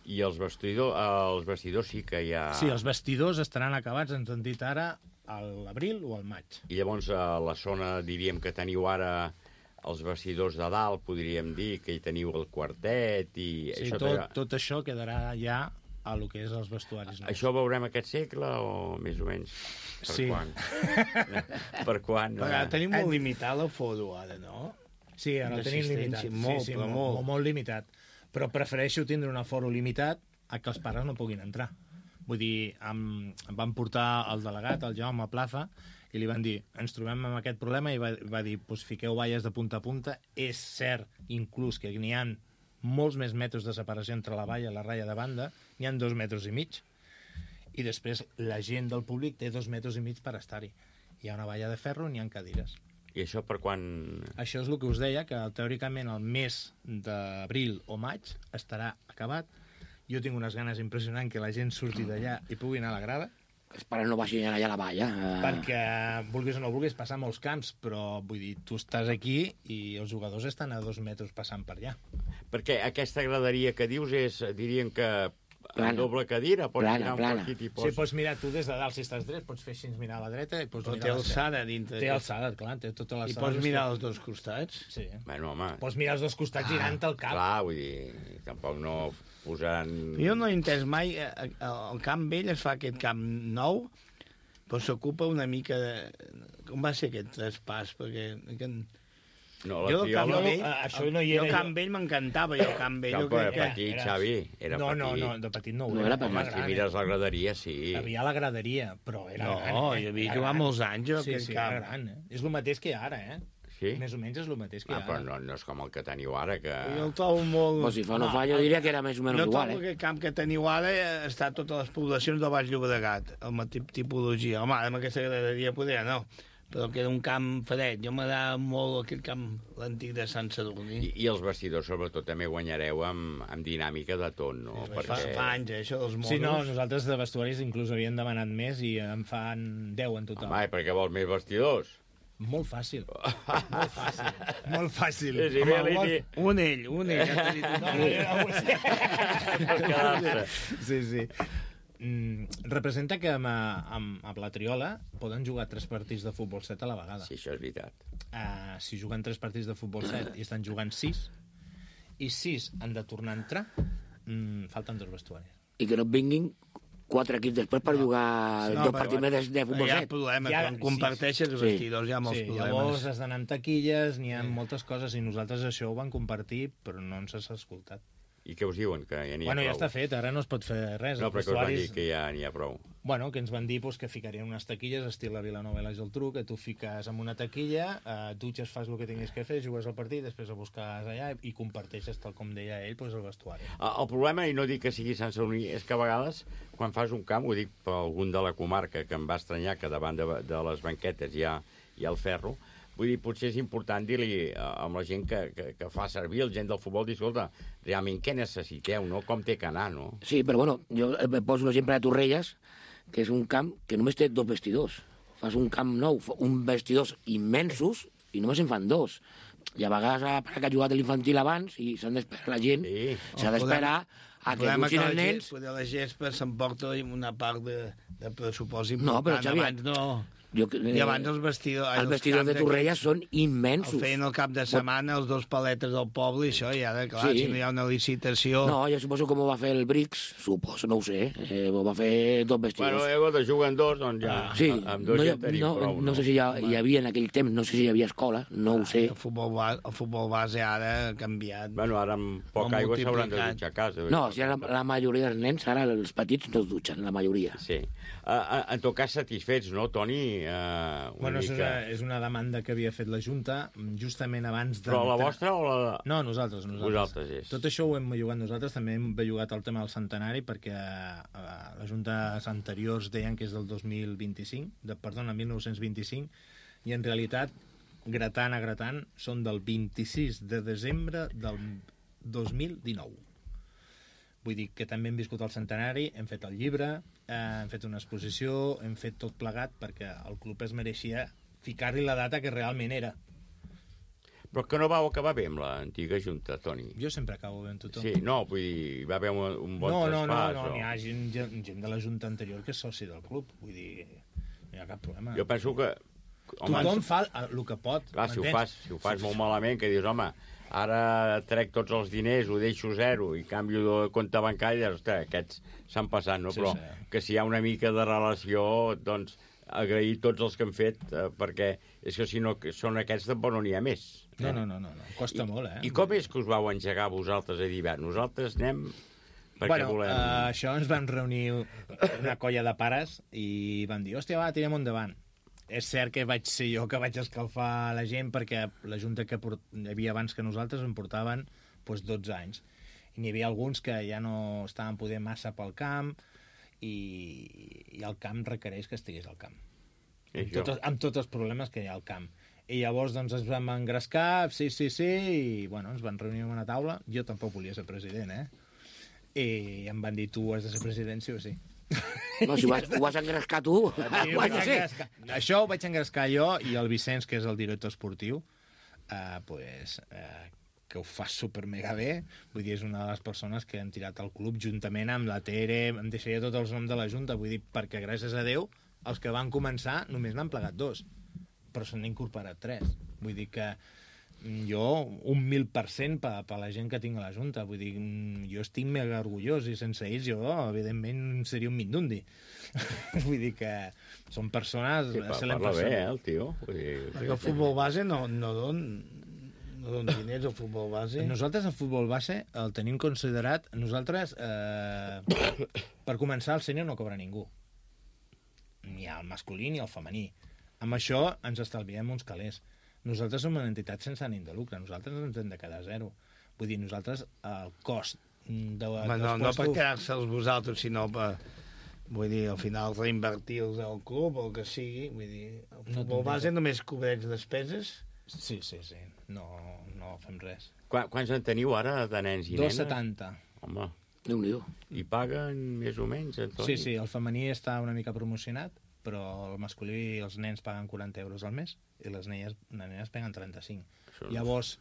I els vestidors sí que hi ha... Sí, els vestidors estaran acabats, ens han dit ara, a l'abril o al maig. I llavors a la zona, diríem, que teniu ara els vestidors de dalt, podríem dir, que hi teniu el quartet i... Sí, tot això quedarà ja a lo que és els vestuaris. Això veurem aquest segle o més o menys? Per quan? Per quan? Tenim molt limitat l'aforo ara, no? Sí, ara tenim limitat. Molt limitat. Però prefereixo tindre un aforo limitat a que els pares no puguin entrar. Vull dir, em van portar el delegat, el Jaume Plaza, i li van dir, ens trobem amb aquest problema, i va dir, pues, fiqueu valles de punta a punta. És cert, inclús, que n'hi ha molts més metres de separació entre la valla i la ratlla de banda, n'hi ha 2,5 metres. I després la gent del públic té 2,5 metres per estar-hi. Hi ha una valla de ferro, n'hi ha cadires. I això per quan? Això és el que us deia, que teòricament el mes d'abril o maig estarà acabat. Jo tinc unes ganes impressionants que la gent surti d'allà i pugui anar a la grada. Els pares no baixin allà a la valla. Perquè, vulguis o no vulguis, passar molts camps, però vull dir, tu estàs aquí i els jugadors estan a 2 metres passant per allà. Perquè aquesta graderia que dius és, dirien que plana. Doble cadira, pots mirar un partit i pots... Sí, pots mirar tu des de dalt, si estàs dret, pots fer així, mirar a la dreta i pots mirar té alçada dintre. Té alçada, clar, té tota l'alçada. I pots mirar als dos costats? Sí. Bueno, home... Pots mirar als dos costats girant el cap. Clar, vull dir, tampoc no posaran... Jo no he entès mai, el camp vell es fa aquest camp nou, però s'ocupa una mica de... Com va ser aquest traspàs? Perquè... No, la Triola... Això no hi era. Jo Camp Vell m'encantava, jo Camp Vell. Era petit, Xavi, era petit. No, de petit no ho era. Si mires la graderia, sí. Hi havia la graderia, però era gran. No, hi havia jugat molts anys, jo, aquest camp. Era gran, És el mateix que ara, Sí? Més o menys és el mateix que ara. Però no és com el que teniu ara, que... Jo el trobo molt... Pues si fa no fa, jo diria que era més o menys igual, Jo trobo que el camp que teniu ara està a totes les poblacions del Baix Llobregat, amb la tipologia. Home, amb aquesta graderia podria no, però que era un camp fred. Jo m'agrada molt aquest camp, l'antic de Sant Sadurní. I els vestidors, sobretot, també guanyareu amb dinàmica de tot, no? Perquè... Fa anys, això dels monos. Sí, no, nosaltres de vestuaris inclús havíem demanat més i en fan 10 en total. Home, perquè vols més vestidors? Molt fàcil. Molt fàcil. Molt fàcil. Sí, home, un ell. Sí. Representa que amb la Triola poden jugar 3 partits de futbol 7 a la vegada. Sí, això és veritat. Si juguen 3 partits de futbol 7 i estan jugant 6, i 6 han de tornar a entrar, falten 2 vestuaris. I que no vinguin 4 equips després per jugar 2 partits de futbol 7. Hi ha problemes, quan comparteixes els vestidors hi ha molts problemes. Llavors has d'anar amb taquilles, n'hi ha moltes coses, i nosaltres això ho vam compartir, però no ens has escoltat. I què us diuen? Que ja n'hi ha prou? Ja està fet, ara no es pot fer res. No, però que us van dir que ja n'hi ha prou. Bueno, que ens van dir que ficarien unes taquilles, estil la Vilanova i la Geltrú, que tu fiques amb una taquilla, dutxes, fas el que tinguis que fer, jugues al partit, després el busques allà i comparteixes, tal com deia ell, el vestuari. El problema, i no dic que sigui Sant Sadurní, és que a vegades, quan fas un camp, ho dic per algun de la comarca, que em va estranyar que davant de les banquetes hi ha el ferro, vull dir, potser és important dir-li amb la gent que fa servir, el gent del futbol, dir, escolta, realment què necessiteu, no? Com té que anar, no? Sí, però bueno, jo poso l'exemple de Torrelles, que és un camp que només té 2 vestidors. Fas un camp nou, uns vestidors immensos, i només en fan 2. I a vegades que ha jugat l'infantil abans, i s'han d'esperar la gent, s'ha d'esperar a que dutxin els nens... La gespa s'emporta una part de pressupost important. No, però Xavi, abans no... I abans els vestidors de Torrella són immensos. El feien el cap de setmana, els dos paletes del poble, i això, i ara, clar, si no hi ha una licitació... No, jo suposo que m'ho va fer el Brix, suposo, no ho sé, m'ho va fer dos vestidors. Bueno, de juguen dos, doncs ja... Sí, amb dos ja tenim prou. No sé si hi havia en aquell temps, no sé si hi havia escola, no ho sé. El futbol base ara ha canviat. Bueno, ara amb poca aigua s'hauran de dutxar a casa. No, si la majoria dels nens, ara els petits no es dutxen, la majoria. Sí. En tot cas, satisfets, no, Toni? Bueno, és una demanda que havia fet la Junta justament abans de... Però la vostra o la... No, nosaltres. Vosaltres, és. Tot això ho hem bellugat nosaltres, també hem bellugat el tema del centenari, perquè les juntes anteriors deien que és del 2025, perdona, 1925, i en realitat, gratant a gratant, són del 26 de desembre del 2019. Vull dir que també hem viscut el centenari, hem fet el llibre, hem fet una exposició, hem fet tot plegat perquè el club es mereixia ficar-li la data que realment era. Però que no vau acabar bé amb l'antiga Junta, Toni? Jo sempre acabo bé amb tothom. Sí, no, vull dir, va haver un bon traspàs. No, n'hi ha gent de la Junta anterior que és soci del club, vull dir, no hi ha cap problema. Jo penso que... Tothom fa el que pot. Clar, si ho fas molt malament, que dius, home, ara trec tots els diners, ho deixo zero i canvio de compte bancari, ostres, aquests s'han passat, no? Però que si hi ha una mica de relació, doncs agrair tots els que han fet, perquè és que si no són aquests, tampoc no n'hi ha més. No, costa molt, eh? I com és que us vau engegar vosaltres a dir, nosaltres anem perquè volem... Això ens vam reunir una colla de pares i vam dir, hòstia, va, tirem endavant. És cert que vaig ser jo que vaig escalfar la gent perquè la junta que hi havia abans que nosaltres en portaven 12 anys. I n'hi havia alguns que ja no estaven poder massa pel camp i el camp requereix que estigués al camp. Amb tots els problemes que hi ha al camp. I llavors doncs ens vam engrescar, sí, i bueno, ens van reunir en una taula. Jo tampoc volia ser president, I em van dir, tu has de ser president, sí o sí. No, si ho vas engrescar tu. Això ho vaig engrescar jo i el Vicenç, que és el director esportiu, que ho fa super mega bé. Vull dir, és una de les persones que han tirat el club juntament amb la Tere, em deixaria tots els noms de la Junta, vull dir, perquè gràcies a Déu els que van començar només n'han plegat 2, però se n'han incorporat 3. Vull dir que jo, 1000% per la gent que tinc a la Junta. Vull dir, jo estic mega orgullós i sense ells jo, evidentment, seria un mindundi. Vull dir que són persones... Sí, parla bé, el tio. Perquè el futbol base no don diners al futbol base. Nosaltres el futbol base el tenim considerat... Nosaltres, per començar, el sènior no cobra ningú. Ni el masculí ni el femení. Amb això ens estalviem uns calés. Nosaltres som una entitat sense ànim de lucre. Nosaltres ens hem de quedar zero. Vull dir, nosaltres el cost no per quedar-se'ls vosaltres, sinó per... Vull dir, al final reinvertir-los al club o el que sigui. Vull dir, el futbol base només cobreix despeses? Sí. No fem res. Quants en teniu ara de nens i nenes? 270. Home. Déu-n'hi-do. I paguen més o menys, Antoni? Sí, el femení està una mica promocionat, però el masculí i els nens paguen 40 euros al mes i les nenes paguen 35. Llavors,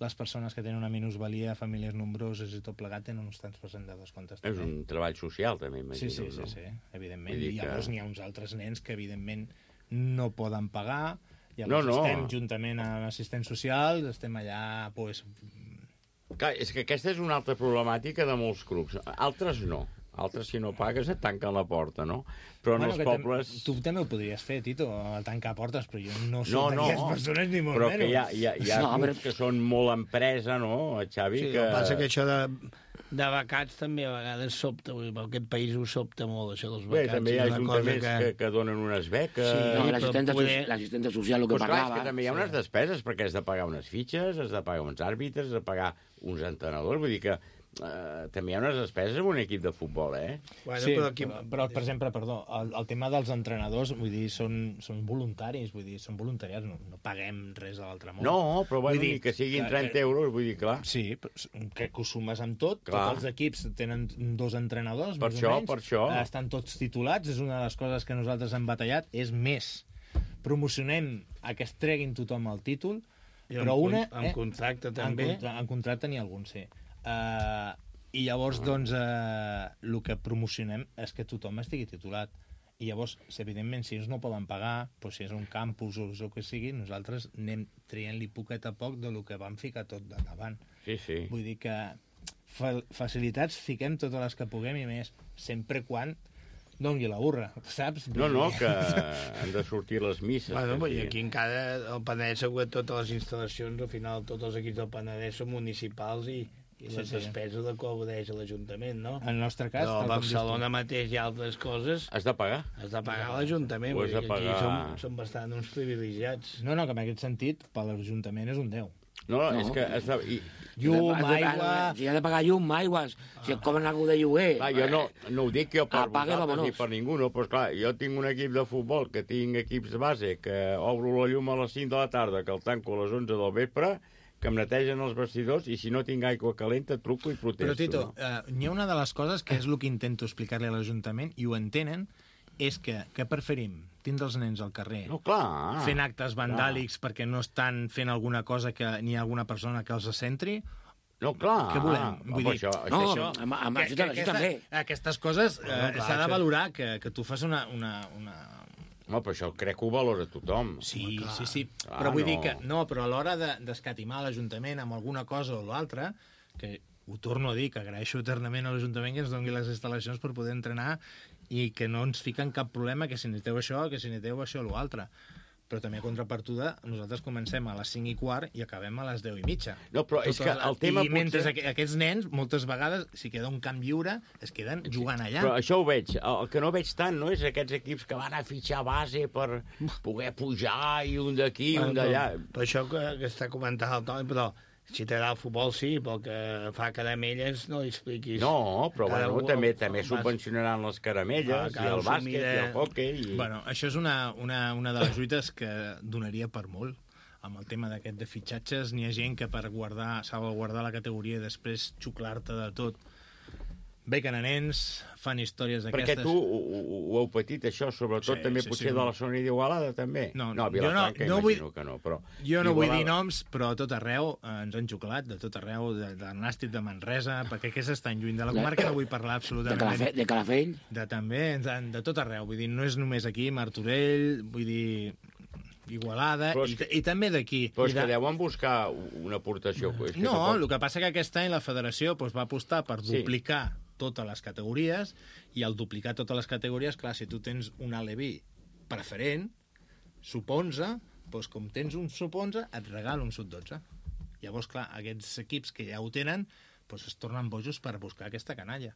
les persones que tenen una minusvalia, famílies nombroses i tot plegat, tenen uns tants % de descomptes. És un treball social, també, imagino. Sí, evidentment. I llavors n'hi ha uns altres nens que, evidentment, no poden pagar. Llavors estem juntament amb assistents socials, estem allà... Clar, és que aquesta és una altra problemàtica de molts clubs. Altres no. Altres, si no pagues, et tanquen la porta, no? Però en els pobles... Tu també ho podries fer, Tito, tancar portes, però jo no soc d'aquestes persones ni molt menys. Però que hi ha clubs que són molt empresa, no, Xavi? Sí, el que passa que això de becats també a vegades sobta, perquè aquest país ho sobta molt, això dels becats. Bé, també hi ha ajuntaments que donen unes beques... Sí, l'assistenta social, el que parlava... Però clar, és que també hi ha unes despeses, perquè has de pagar unes fitxes, has de pagar uns àrbitres, has de pagar uns entrenadors, vull dir que també hi ha unes despeses en un equip de futbol, Bueno, sí, però per exemple, el tema dels entrenadors, vull dir, són voluntaris, vull dir, són voluntariats, no paguem res a l'altre món. No, però vull dir que siguin 30 euros, vull dir, clar. Sí, que ho sumes amb tot, tots els equips tenen 2 entrenadors, per això. Estan tots titulats, és una de les coses que nosaltres hem batallat, és més, promocionem a que es treguin tothom el títol, però amb contracte també. En contracte n'hi ha algun, sí. I llavors, doncs, el que promocionem és que tothom estigui titulat. I llavors, evidentment, si ells no poden pagar, doncs si és un campus o el que sigui, nosaltres anem traient-li poquet a poc del que vam ficar tot de davant. Sí, sí. Vull dir que facilitats fiquem totes les que puguem i més, sempre quan doni la burra, saps? No, que han de sortir les misses. Bueno, i aquí encara el Penedès, totes les instal·lacions, al final tots els equips del Penedès són municipals i les despeses de cobreix l'Ajuntament, no? En el nostre cas... Però a Barcelona mateix hi ha altres coses... Has de pagar? Has de pagar a l'Ajuntament. Ho has de pagar... Aquí som bastant uns privilegiats. No, que en aquest sentit, per l'Ajuntament és un 10. No, és que... Llum, aigua... Si ha de pagar llum, aigua, si et cobren alguna de lloguer... Clar, jo no ho dic jo per vosaltres ni per ningú, no, però esclar, jo tinc un equip de futbol, que tinc equips de base, que obro la llum a les 5 de la tarda, que el tanco a les 11 del vespre, que em netegen els vestidors i si no tinc aigua calenta truco i protesto. Però, Tito, hi ha una de les coses que és el que intento explicar-li a l'Ajuntament, i ho entenen, és que preferim tindre els nens al carrer fent actes vandàlics perquè no estan fent alguna cosa que n'hi ha alguna persona que els centri. No, clar. Què volem? Vull dir, això també. Aquestes coses s'ha de valorar, que tu fas una... No, però això crec que ho valora tothom. Sí. Però vull dir que... No, però a l'hora d'escatimar l'Ajuntament amb alguna cosa o l'altra, que ho torno a dir, que agraeixo eternament a l'Ajuntament que ens doni les instal·lacions per poder entrenar i que no ens fiquen cap problema que si necessiteu això, que si necessiteu això o l'altre. Però també a contrapartida, nosaltres comencem a les 5:15 i acabem a les 10:30. No, però és que el tema I mentre aquests nens, moltes vegades, si queda un camp lliure, es queden jugant allà. Però això ho veig. El que no veig tant no és aquests equips que van a fitxar base per poder pujar i un d'aquí i un d'allà. Per això que està comentant el Toni, però si t'agrada el futbol, sí, però que fa caramelles no li expliquis. No, però bueno, també subvencionaran les caramelles i el bàsquet i el hoquei. Bueno, això és una de les lluites que donaria per molt. Amb el tema d'aquest de fitxatges, n'hi ha gent que per salvaguardar la categoria i després xuclar-te de tot bequen a nens, fan històries d'aquestes... Perquè tu ho heu patit, això, sobretot també potser de la zona d'Igualada, també? No, a Vilafranca imagino que no, però... Jo no vull dir noms, però a tot arreu ens han xuclat, de tot arreu, de Nàstic, de Manresa, perquè aquests estan lluny de la comarca, no vull parlar absolutament... De Calafell? També, de tot arreu, vull dir, no és només aquí, Martorell, vull dir... Igualada, i també d'aquí. Però és que deuen buscar una aportació. No, el que passa que aquest any la federació va apostar per duplicar totes les categories, i al duplicar totes les categories, clar, si tu tens un Aleví preferent, sub-11, doncs com tens un sub-11, et regala un sub-12. Llavors, clar, aquests equips que ja ho tenen, doncs es tornen bojos per buscar aquesta canalla.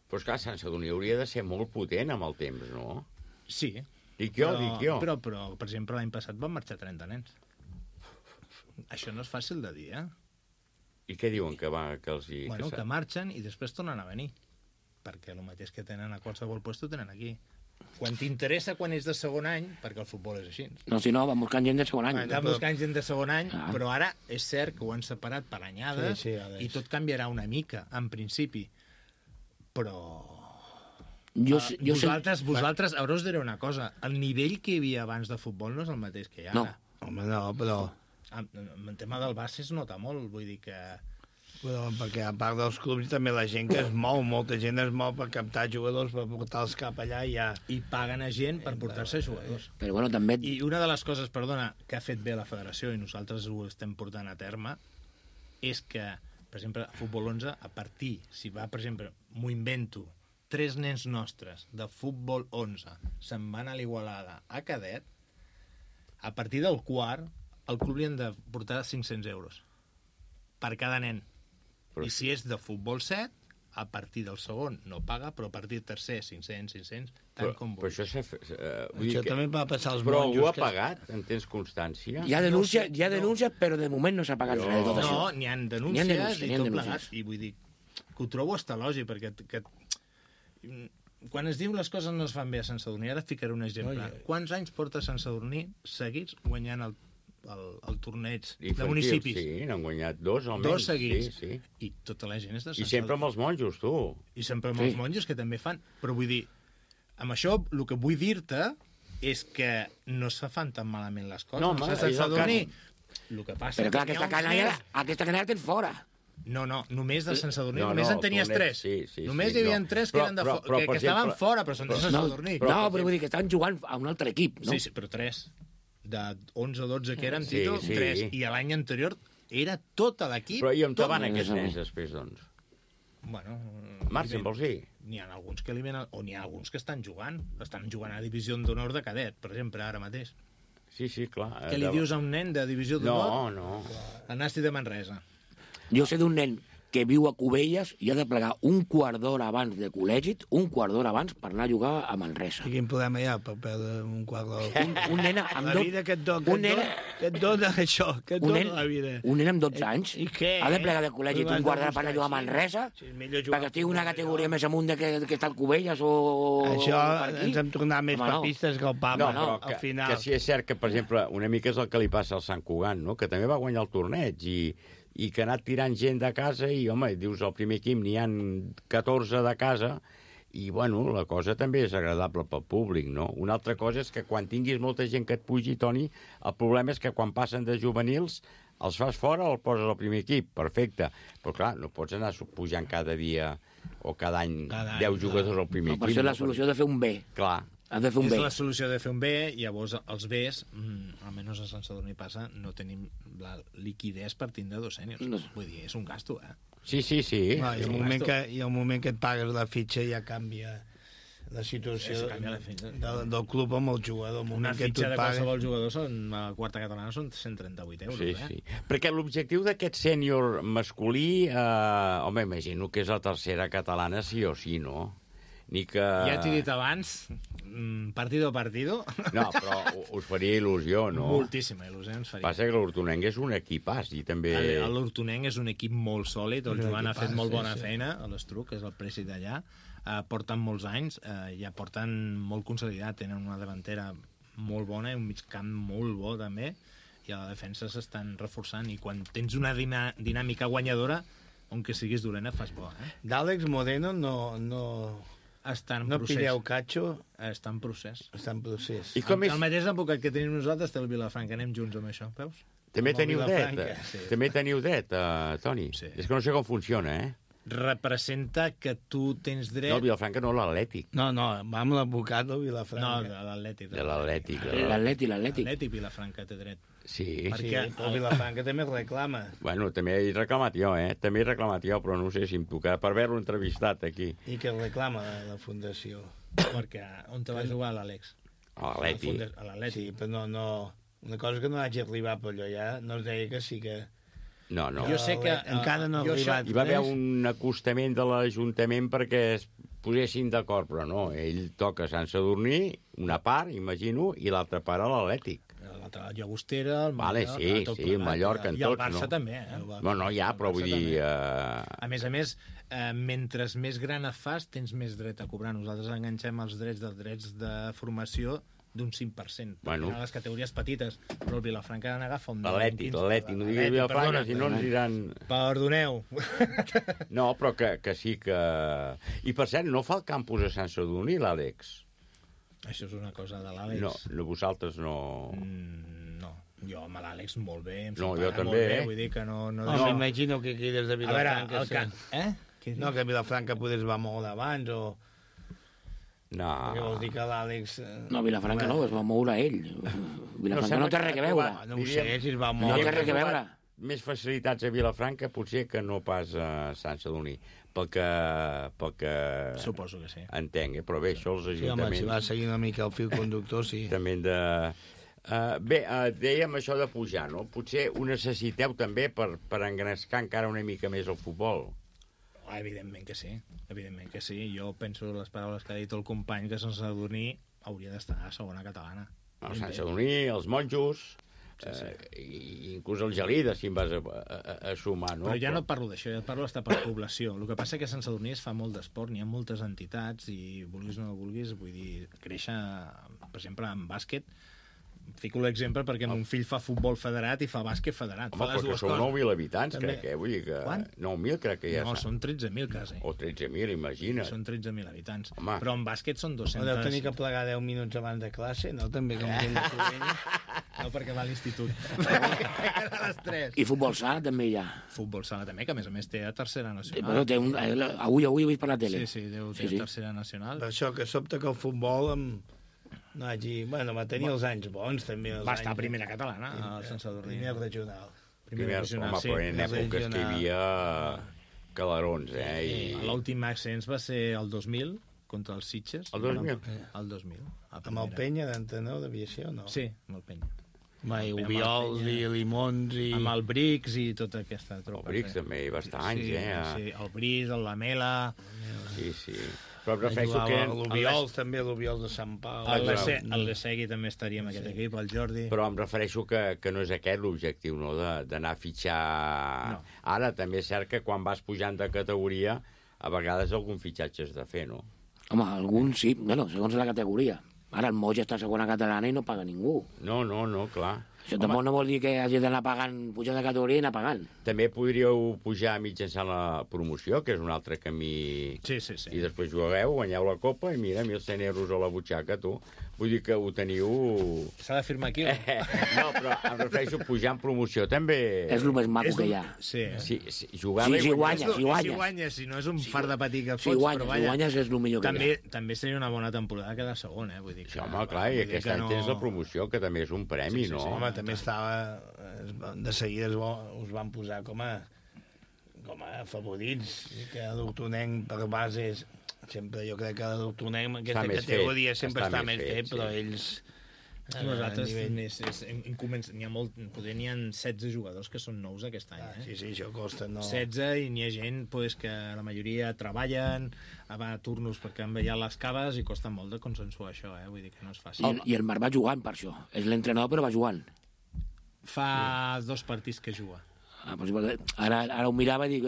Però, esclar, Sant Sadurní hauria de ser molt potent amb el temps, no? Sí. Dic jo. Però, per exemple, l'any passat van marxar 30 nens. Això no és fàcil de dir, I què diuen que els hi... Bueno, que marxen i després tornen a venir. Perquè el mateix que tenen a qualsevol lloc tenen aquí. Quan t'interessa, quan és de segon any, perquè el futbol és així. No, si no, van buscant gent de segon any. Van buscant gent de segon any, però ara és cert que ho han separat per anyades i tot canviarà una mica, en principi. Però... Vosaltres, ara us diré una cosa, el nivell que hi havia abans de futbol no és el mateix que hi ha ara. Home, no, però... En tema del base es nota molt, vull dir que... Però perquè a part dels clubs també la gent que es mou, molta gent es mou per captar jugadors, per portar-los cap allà i ja... I paguen a gent per portar-se jugadors. Però bueno, també... I una de les coses, perdona, que ha fet bé la federació i nosaltres ho estem portant a terme, és que, per exemple, a Futbol 11, a partir, si va, per exemple, m'ho invento, 3 nens nostres de Futbol 11 se'n van a l'Igualada a cadet, a partir del quart, el club li han de portar 500 euros per cada nen. I si és de futbol 7, a partir del segon no paga, però a partir del tercer 500, tant com vulgui. Això també va passar als monjos. Però algú ha pagat? En tens constància? Hi ha denúncia, però de moment no s'ha pagat res de tot això. No, n'hi ha denúncies i tot plegat. I vull dir que ho trobo hasta lògic, perquè quan es diu les coses no es fan bé a Sant Sadurní, ara et ficaré un exemple. Quants anys porta Sant Sadurní seguits guanyant el torneig de municipis? Sí, n'han guanyat 2 almenys. 2 seguits. Sí. I tota la gent és de Sant Sadurní. I sempre amb els monjos, tu. I sempre amb els monjos, que també fan. Però vull dir, amb això, el que vull dir-te és que no se fan tan malament les coses. No, home, Sant Sadurní, el que passa... Però clar, aquesta canalla tens fora. No, només de Sant Sadurní. Només en tenies 3. Només hi havia 3 que estaven fora, però són de Sant Sadurní. No, però vull dir que estaven jugant a un altre equip, no? Sí, però 3. De 11 o 12 que eren, Tito, 3. I l'any anterior era tot l'equip. Però i on van aquests nens després, doncs? Bueno... Marxen, vols dir? N'hi ha alguns que eliminen... O n'hi ha alguns que estan jugant. Estan jugant a Divisió d'Honor de cadet, per exemple, ara mateix. Sí, clar. Què li dius a un nen de Divisió d'Honor? No. El Nasti de Manresa. Jo sé d'un nen que viu a Cubelles i ha de plegar un quart d'hora abans de col·legi, un quart d'hora abans per anar a jugar a Manresa. I quin problema hi ha per perdre un quart d'hora? Un nen amb la vida que et dona això, que et dona la vida. Un nen amb 12 anys I què? ha de plegar de col·legi un quart d'hora per anar a jugar a Manresa perquè estigui una categoria més amunt que està al Cubelles o... Això ens hem tornat més papistes que el papa, al final. Que sí és cert que, per exemple, una mica és el que li passa al Sant Cugat, no? Que també va guanyar el torneig i que ha anat tirant gent de casa i, home, dius, al primer equip n'hi ha 14 de casa i, bueno, la cosa també és agradable pel públic, no? Una altra cosa és que quan tinguis molta gent que et pugi, Toni, el problema és que quan passen de juvenils els fas fora o el poses al primer equip, perfecte. Però, clar, no pots anar pujant cada dia o cada any 10 jugadors al primer equip. Per això la solució de fer un B. Clar. Has de fer un B. És la solució de fer un B, i llavors els Bs, almenys a Sant Sadurní passa, no tenim la liquidez per tindre 2 sèniors. Vull dir, és un gasto, Sí. No, i el moment que et pagues la fitxa ja canvia la situació del club amb el jugador. Una fitxa de qualsevol jugador a la quarta catalana són 138 euros. Sí. Perquè l'objectiu d'aquest sènior masculí, home, imagino que és la tercera catalana sí o sí, no? Ni que... Ja t'he dit abans, partido a partido... No, però us faria il·lusió, no? Moltíssima il·lusió ens faria. Passa que l'Hortonenc és un equipàs i també... L'Hortonenc és un equip molt sòlid, el Joan ha fet molt bona feina, a l'Estruc, que és el préssec d'allà, porten molts anys, ja porten molt consolidat, tenen una davantera molt bona i un migcamp molt bo també, i a la defensa s'estan reforçant, i quan tens una dinàmica guanyadora, on que siguis dolent et fas bo, D'Àlex Moreno no pilleu catxo. Està en procés. I com és... El mateix advocat que tenim nosaltres té el Vilafranca, anem junts amb això, veus? També teniu det, Toni? Sí. És que no sé com funciona, Representa que tu tens dret... No, el Vilafranca no, l'Atlètic. No, va amb l'advocat del Vilafranca. No, l'Atlètic. De l'Atlètic. L'Atlètic Vilafranca té dret. Sí. Perquè el Vilafranca també reclama. Bueno, també he reclamat jo, També he reclamat jo, però no sé si em tocarà per haver-lo entrevistat aquí. I que reclama la fundació. Perquè on te va jugar l'Àlex? A l'Atlètic. Sí, però no... Una cosa que no hagi arribat per allò ja, no es deia que sí que... No. Jo sé que encara no ha arribat. Hi va haver un acostament de l'Ajuntament perquè es posessin d'acord, però no. Ell toca a Sant Sadurní, una part, imagino, i l'altra part a l'Atlètic. L'altra, la Llagostera, el Mallorca... Vale, sí, el Mallorca, en tots, no? I el Barça també, No, ja, però vull dir... A més, mentre més gran et fas, tens més dret a cobrar. Nosaltres enganxem els drets de formació d'un 5%. Bueno. A les categories petites, però el Vilafranca n'agafa un 15%. L'Atlètic, no diguis Vilafranca, si no ens diran... Perdoneu. No, però que sí que... I per cert, no fa el campus a Sant Sadurní, l'Àlex? Això és una cosa de l'Àlex. No, vosaltres no... No, jo amb l'Àlex molt bé, jo també, vull dir que no... M'imagino que aquí des de Vilafranca... A veure, No, que Vilafranca podés va molt abans, o... No. Perquè vol dir que l'Àlex... No, Vilafranca no, es va moure ell. Vilafranca no té res a veure. No ho sé, si es va moure. No té res a veure. Més facilitats a Vilafranca potser que no pas a Sant Sadurní. Pel que... Suposo que sí. Entenc, però bé, això els ajuntaments... Sí, home, si va seguir una mica el fil conductor, sí. També de... dèiem això de pujar, no? Potser ho necessiteu també per engrescar encara una mica més el futbol. Evidentment que sí. Jo penso les paraules que ha dit el company, que Sant Sadurní hauria d'estar a segona catalana. El Sant Sadurní, els monjos, inclús el Gelida, si em vas a sumar, no? Però ja no et parlo d'això, ja et parlo d'estar per població. El que passa és que a Sant Sadurní es fa molt d'esport, n'hi ha moltes entitats i vulguis o no vulguis, vull dir, créixer, per exemple, en bàsquet, fico l'exemple perquè mon fill fa futbol federat i fa bàsquet federat. Home, perquè sou 9.000 habitants, crec, Vull dir que... Quant? 9.000 crec que ja No, són 13.000 quasi. O 13.000, imagina't. Són 13.000 habitants. Home. Però en bàsquet són 200... No deu tenir que plegar 10 minuts abans de classe, no? També com gent de Covella. No, perquè va a l'institut. A les 3. I futbol sala també hi ha. Futbol sala també, que a més té a tercera nacional. Però té avui ho he vist per la tele. Sí, té tercera nacional. Per això que sobta que el futbol no hagi... Bueno, va tenir els anys bons, també. Va estar a primera catalana, a Sant Sadurní. Primer regional. Primer regional, sí. Però en èpoques que hi havia calarons, I l'últim ascens va ser el 2000, contra els Sitges. El 2000? El 2000. Amb el Penya d'entrenador d'aviació, no? Sí, amb el Penya. I Ubiols i Limons i... Amb el Brix i tota aquesta tropa. El Brix també hi va estar anys, Sí, el Brix, el Lamela... Sí. Però prefereixo que... L'Ubiols també, l'Ubiols de Sant Pau. El Lesegui també estaria en aquest equip, el Jordi. Però em refereixo que no és aquest l'objectiu, no?, d'anar a fitxar... No. Ara també és cert que quan vas pujant de categoria, a vegades algun fitxatge has de fer, no? Home, alguns sí, bueno, segons la categoria. Ara el Moix està a segona catalana i no paga ningú. No, clar. Això tampoc no vol dir que hagi d'anar pagant, pujar de categoria i anar pagant. També podríeu pujar mitjançant la promoció, que és un altre camí... Sí. I després jugueu, guanyeu la Copa i mira, 1.100 euros a la butxaca, tu. Vull dir que ho teniu... S'ha de firmar aquí, No, però em refereixo a pujar en promoció, també... És el més maco que hi ha. Sí. Jugar si guanyes. Si no és un fart de patir que fots, si guanyes és el millor que hi ha. També seria una bona temporada quedar segon, Vull dir que... Sí, home, clar, i aquest any tens la promoció, que també és un premi, no? Home, també estava... De seguida us van posar com a favorits, que l'Hortonenc per bases... Sempre jo crec que l'Hortonenc, aquesta categoria sempre està més fet, però ells... Nosaltres n'hi ha molt, poder n'hi ha 16 jugadors que són nous aquest any. Sí, això costa, no? 16 i n'hi ha gent que la majoria treballen, va a turnos perquè han veient les caves i costa molt de consensuar això, vull dir que no és fàcil. I el Marc va jugant per això, és l'entrenador però va jugant. Fa 2 partits que juga. Ara ho mirava i dic,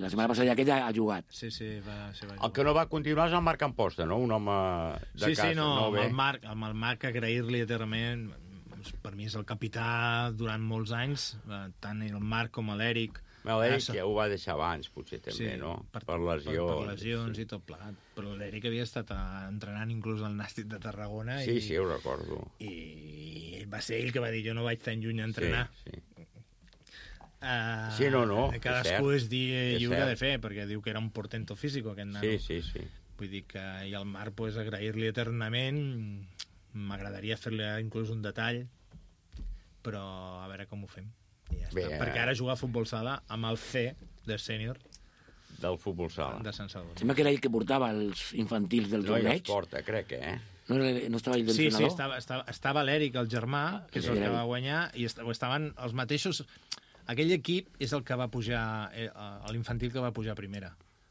la setmana passada aquest ha jugat. Sí, va jugar. El que no va continuar és el Marc Amposta, no? Un home de casa. Sí, amb el Marc agrair-li eternament. Per mi és el capità durant molts anys, tant el Marc com l'Èric. L'Èric ja ho va deixar abans, potser també, no? Per lesions. Per lesions i tot plegat. Però l'Èric havia estat entrenant inclús al Nàstic de Tarragona. Sí, ho recordo. I va ser ell que va dir, jo no vaig tan lluny a entrenar. Sí. Cadascú és lliure de fer, perquè diu que era un portento físic aquest nano. Sí. Vull dir que i el Marc, agrair-li eternament, m'agradaria fer-li inclús un detall, però a veure com ho fem. I ja està. Perquè ara juga a futbol sala amb el C de sènior del futbol sala de Sant Sadurní. Sembla que era ell que portava els infantils del torneig. No, ell els porta, crec, No estava ell d'entrenador? Sí, estava l'Èric, el germà, que és el que va guanyar, i estaven els mateixos... Aquell equip és el que va pujar, l'infantil que va pujar a primera,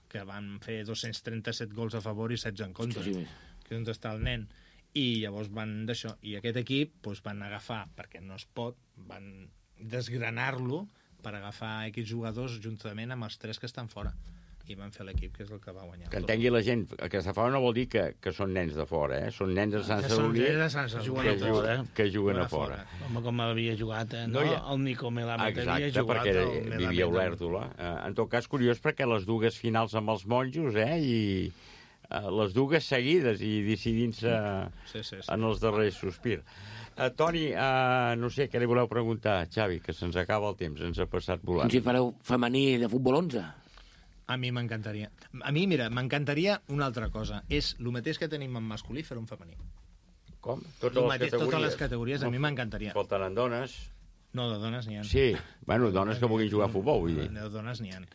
que van fer 237 gols a favor i 16 en contra, que és on està el nen. I llavors van d'això. I aquest equip van agafar, perquè no es pot, van desgranar-lo per agafar X jugadors juntament amb els 3 que estan fora. I van fer l'equip, que és el que va guanyar. Que entengui la gent, que de fora no vol dir que són nens de fora, Són nens de Sant Sadurní que juguen a fora. Home, com havia jugat, el Nico Melamed havia jugat. Exacte, perquè vivia a Olèrdola. En tot cas, curiós, perquè les dues finals amb els monjos, i les dues seguides i decidint-se en els darrers sospirs. Toni, no sé, què li voleu preguntar, Xavi, que se'ns acaba el temps, ens ha passat volant. Si fareu femení de futbol 11? A mi m'encantaria. A mi, mira, m'encantaria una altra cosa. És el mateix que tenim en masculí, fer un femení. Com? Totes les categories, a mi m'encantaria. Faltaran dones? No, de dones n'hi ha. Sí, dones que vulguin jugar a futbol, vull dir. De dones n'hi ha.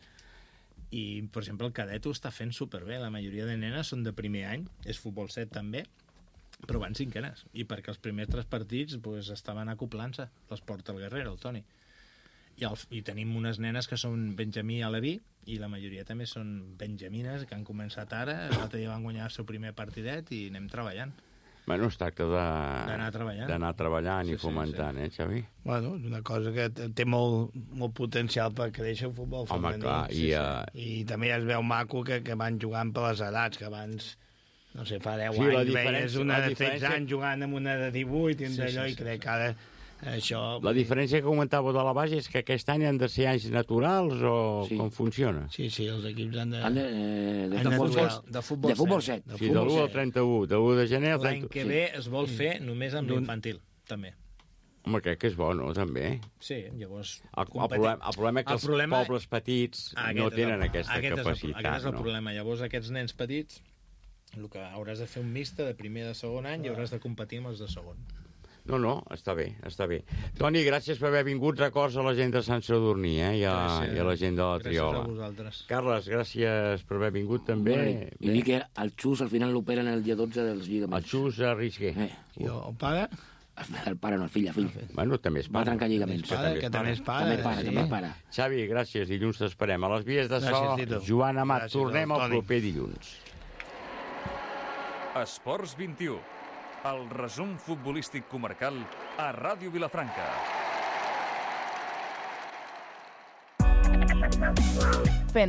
I, per exemple, el cadet ho està fent superbé. La majoria de nenes són de primer any, és futbol 7 també, però van cinquenes. I perquè els primers 3 partits estaven acoplant-se. Les porta el Guerrero, el Toni. I tenim unes nenes que són Benjamí i Aleví, i la majoria també són benjamines, que han començat ara, l'altre dia van guanyar el seu primer partidet i anem treballant. Bueno, es tracta d'anar treballant i fomentant, Xavi? Bueno, és una cosa que té molt potencial per créixer el futbol femení. Home, clar. I també es veu maco que van jugant per les edats, que abans no sé, fa 10 Sí, la anys diferència- veies una la de 16 diferència- anys jugant amb una de 18 i d'allò, i crec que ara això... La diferència que comentàveu de la base és que aquest any han de ser anys naturals o com funciona? Sí, els equips han de... De futbol 7. Sí, de l'1 al 31, de l'1 de gener al 31. L'any que ve es vol fer només amb l'infantil, també. Home, crec que és bo, no?, també. Sí, llavors... El problema és que els pobles petits no tenen aquesta capacitat. Aquest és el problema. Llavors, aquests nens petits, el que hauràs de fer un mixte de primer i de segon any i hauràs de competir amb els de segon. No, està bé, està bé. Toni, gràcies per haver vingut. Records a la gent de Sant Sadurní, i a la gent de la Triola. Gràcies a vosaltres. Carles, gràcies per haver vingut també. I dir que el Xus al final l'operen el dia 12 dels lligaments. El Xus Risqué. I el pare? El pare no, el fill. Bueno, també és pare. Va trencar lligaments. Que també és pare. També és pare. Xavi, gràcies. Dilluns t'esperem. A les vies de so, Joan Amat. Tornem el proper dilluns. Esports 21. El resum futbolístic comarcal a Ràdio Vilafranca. Fent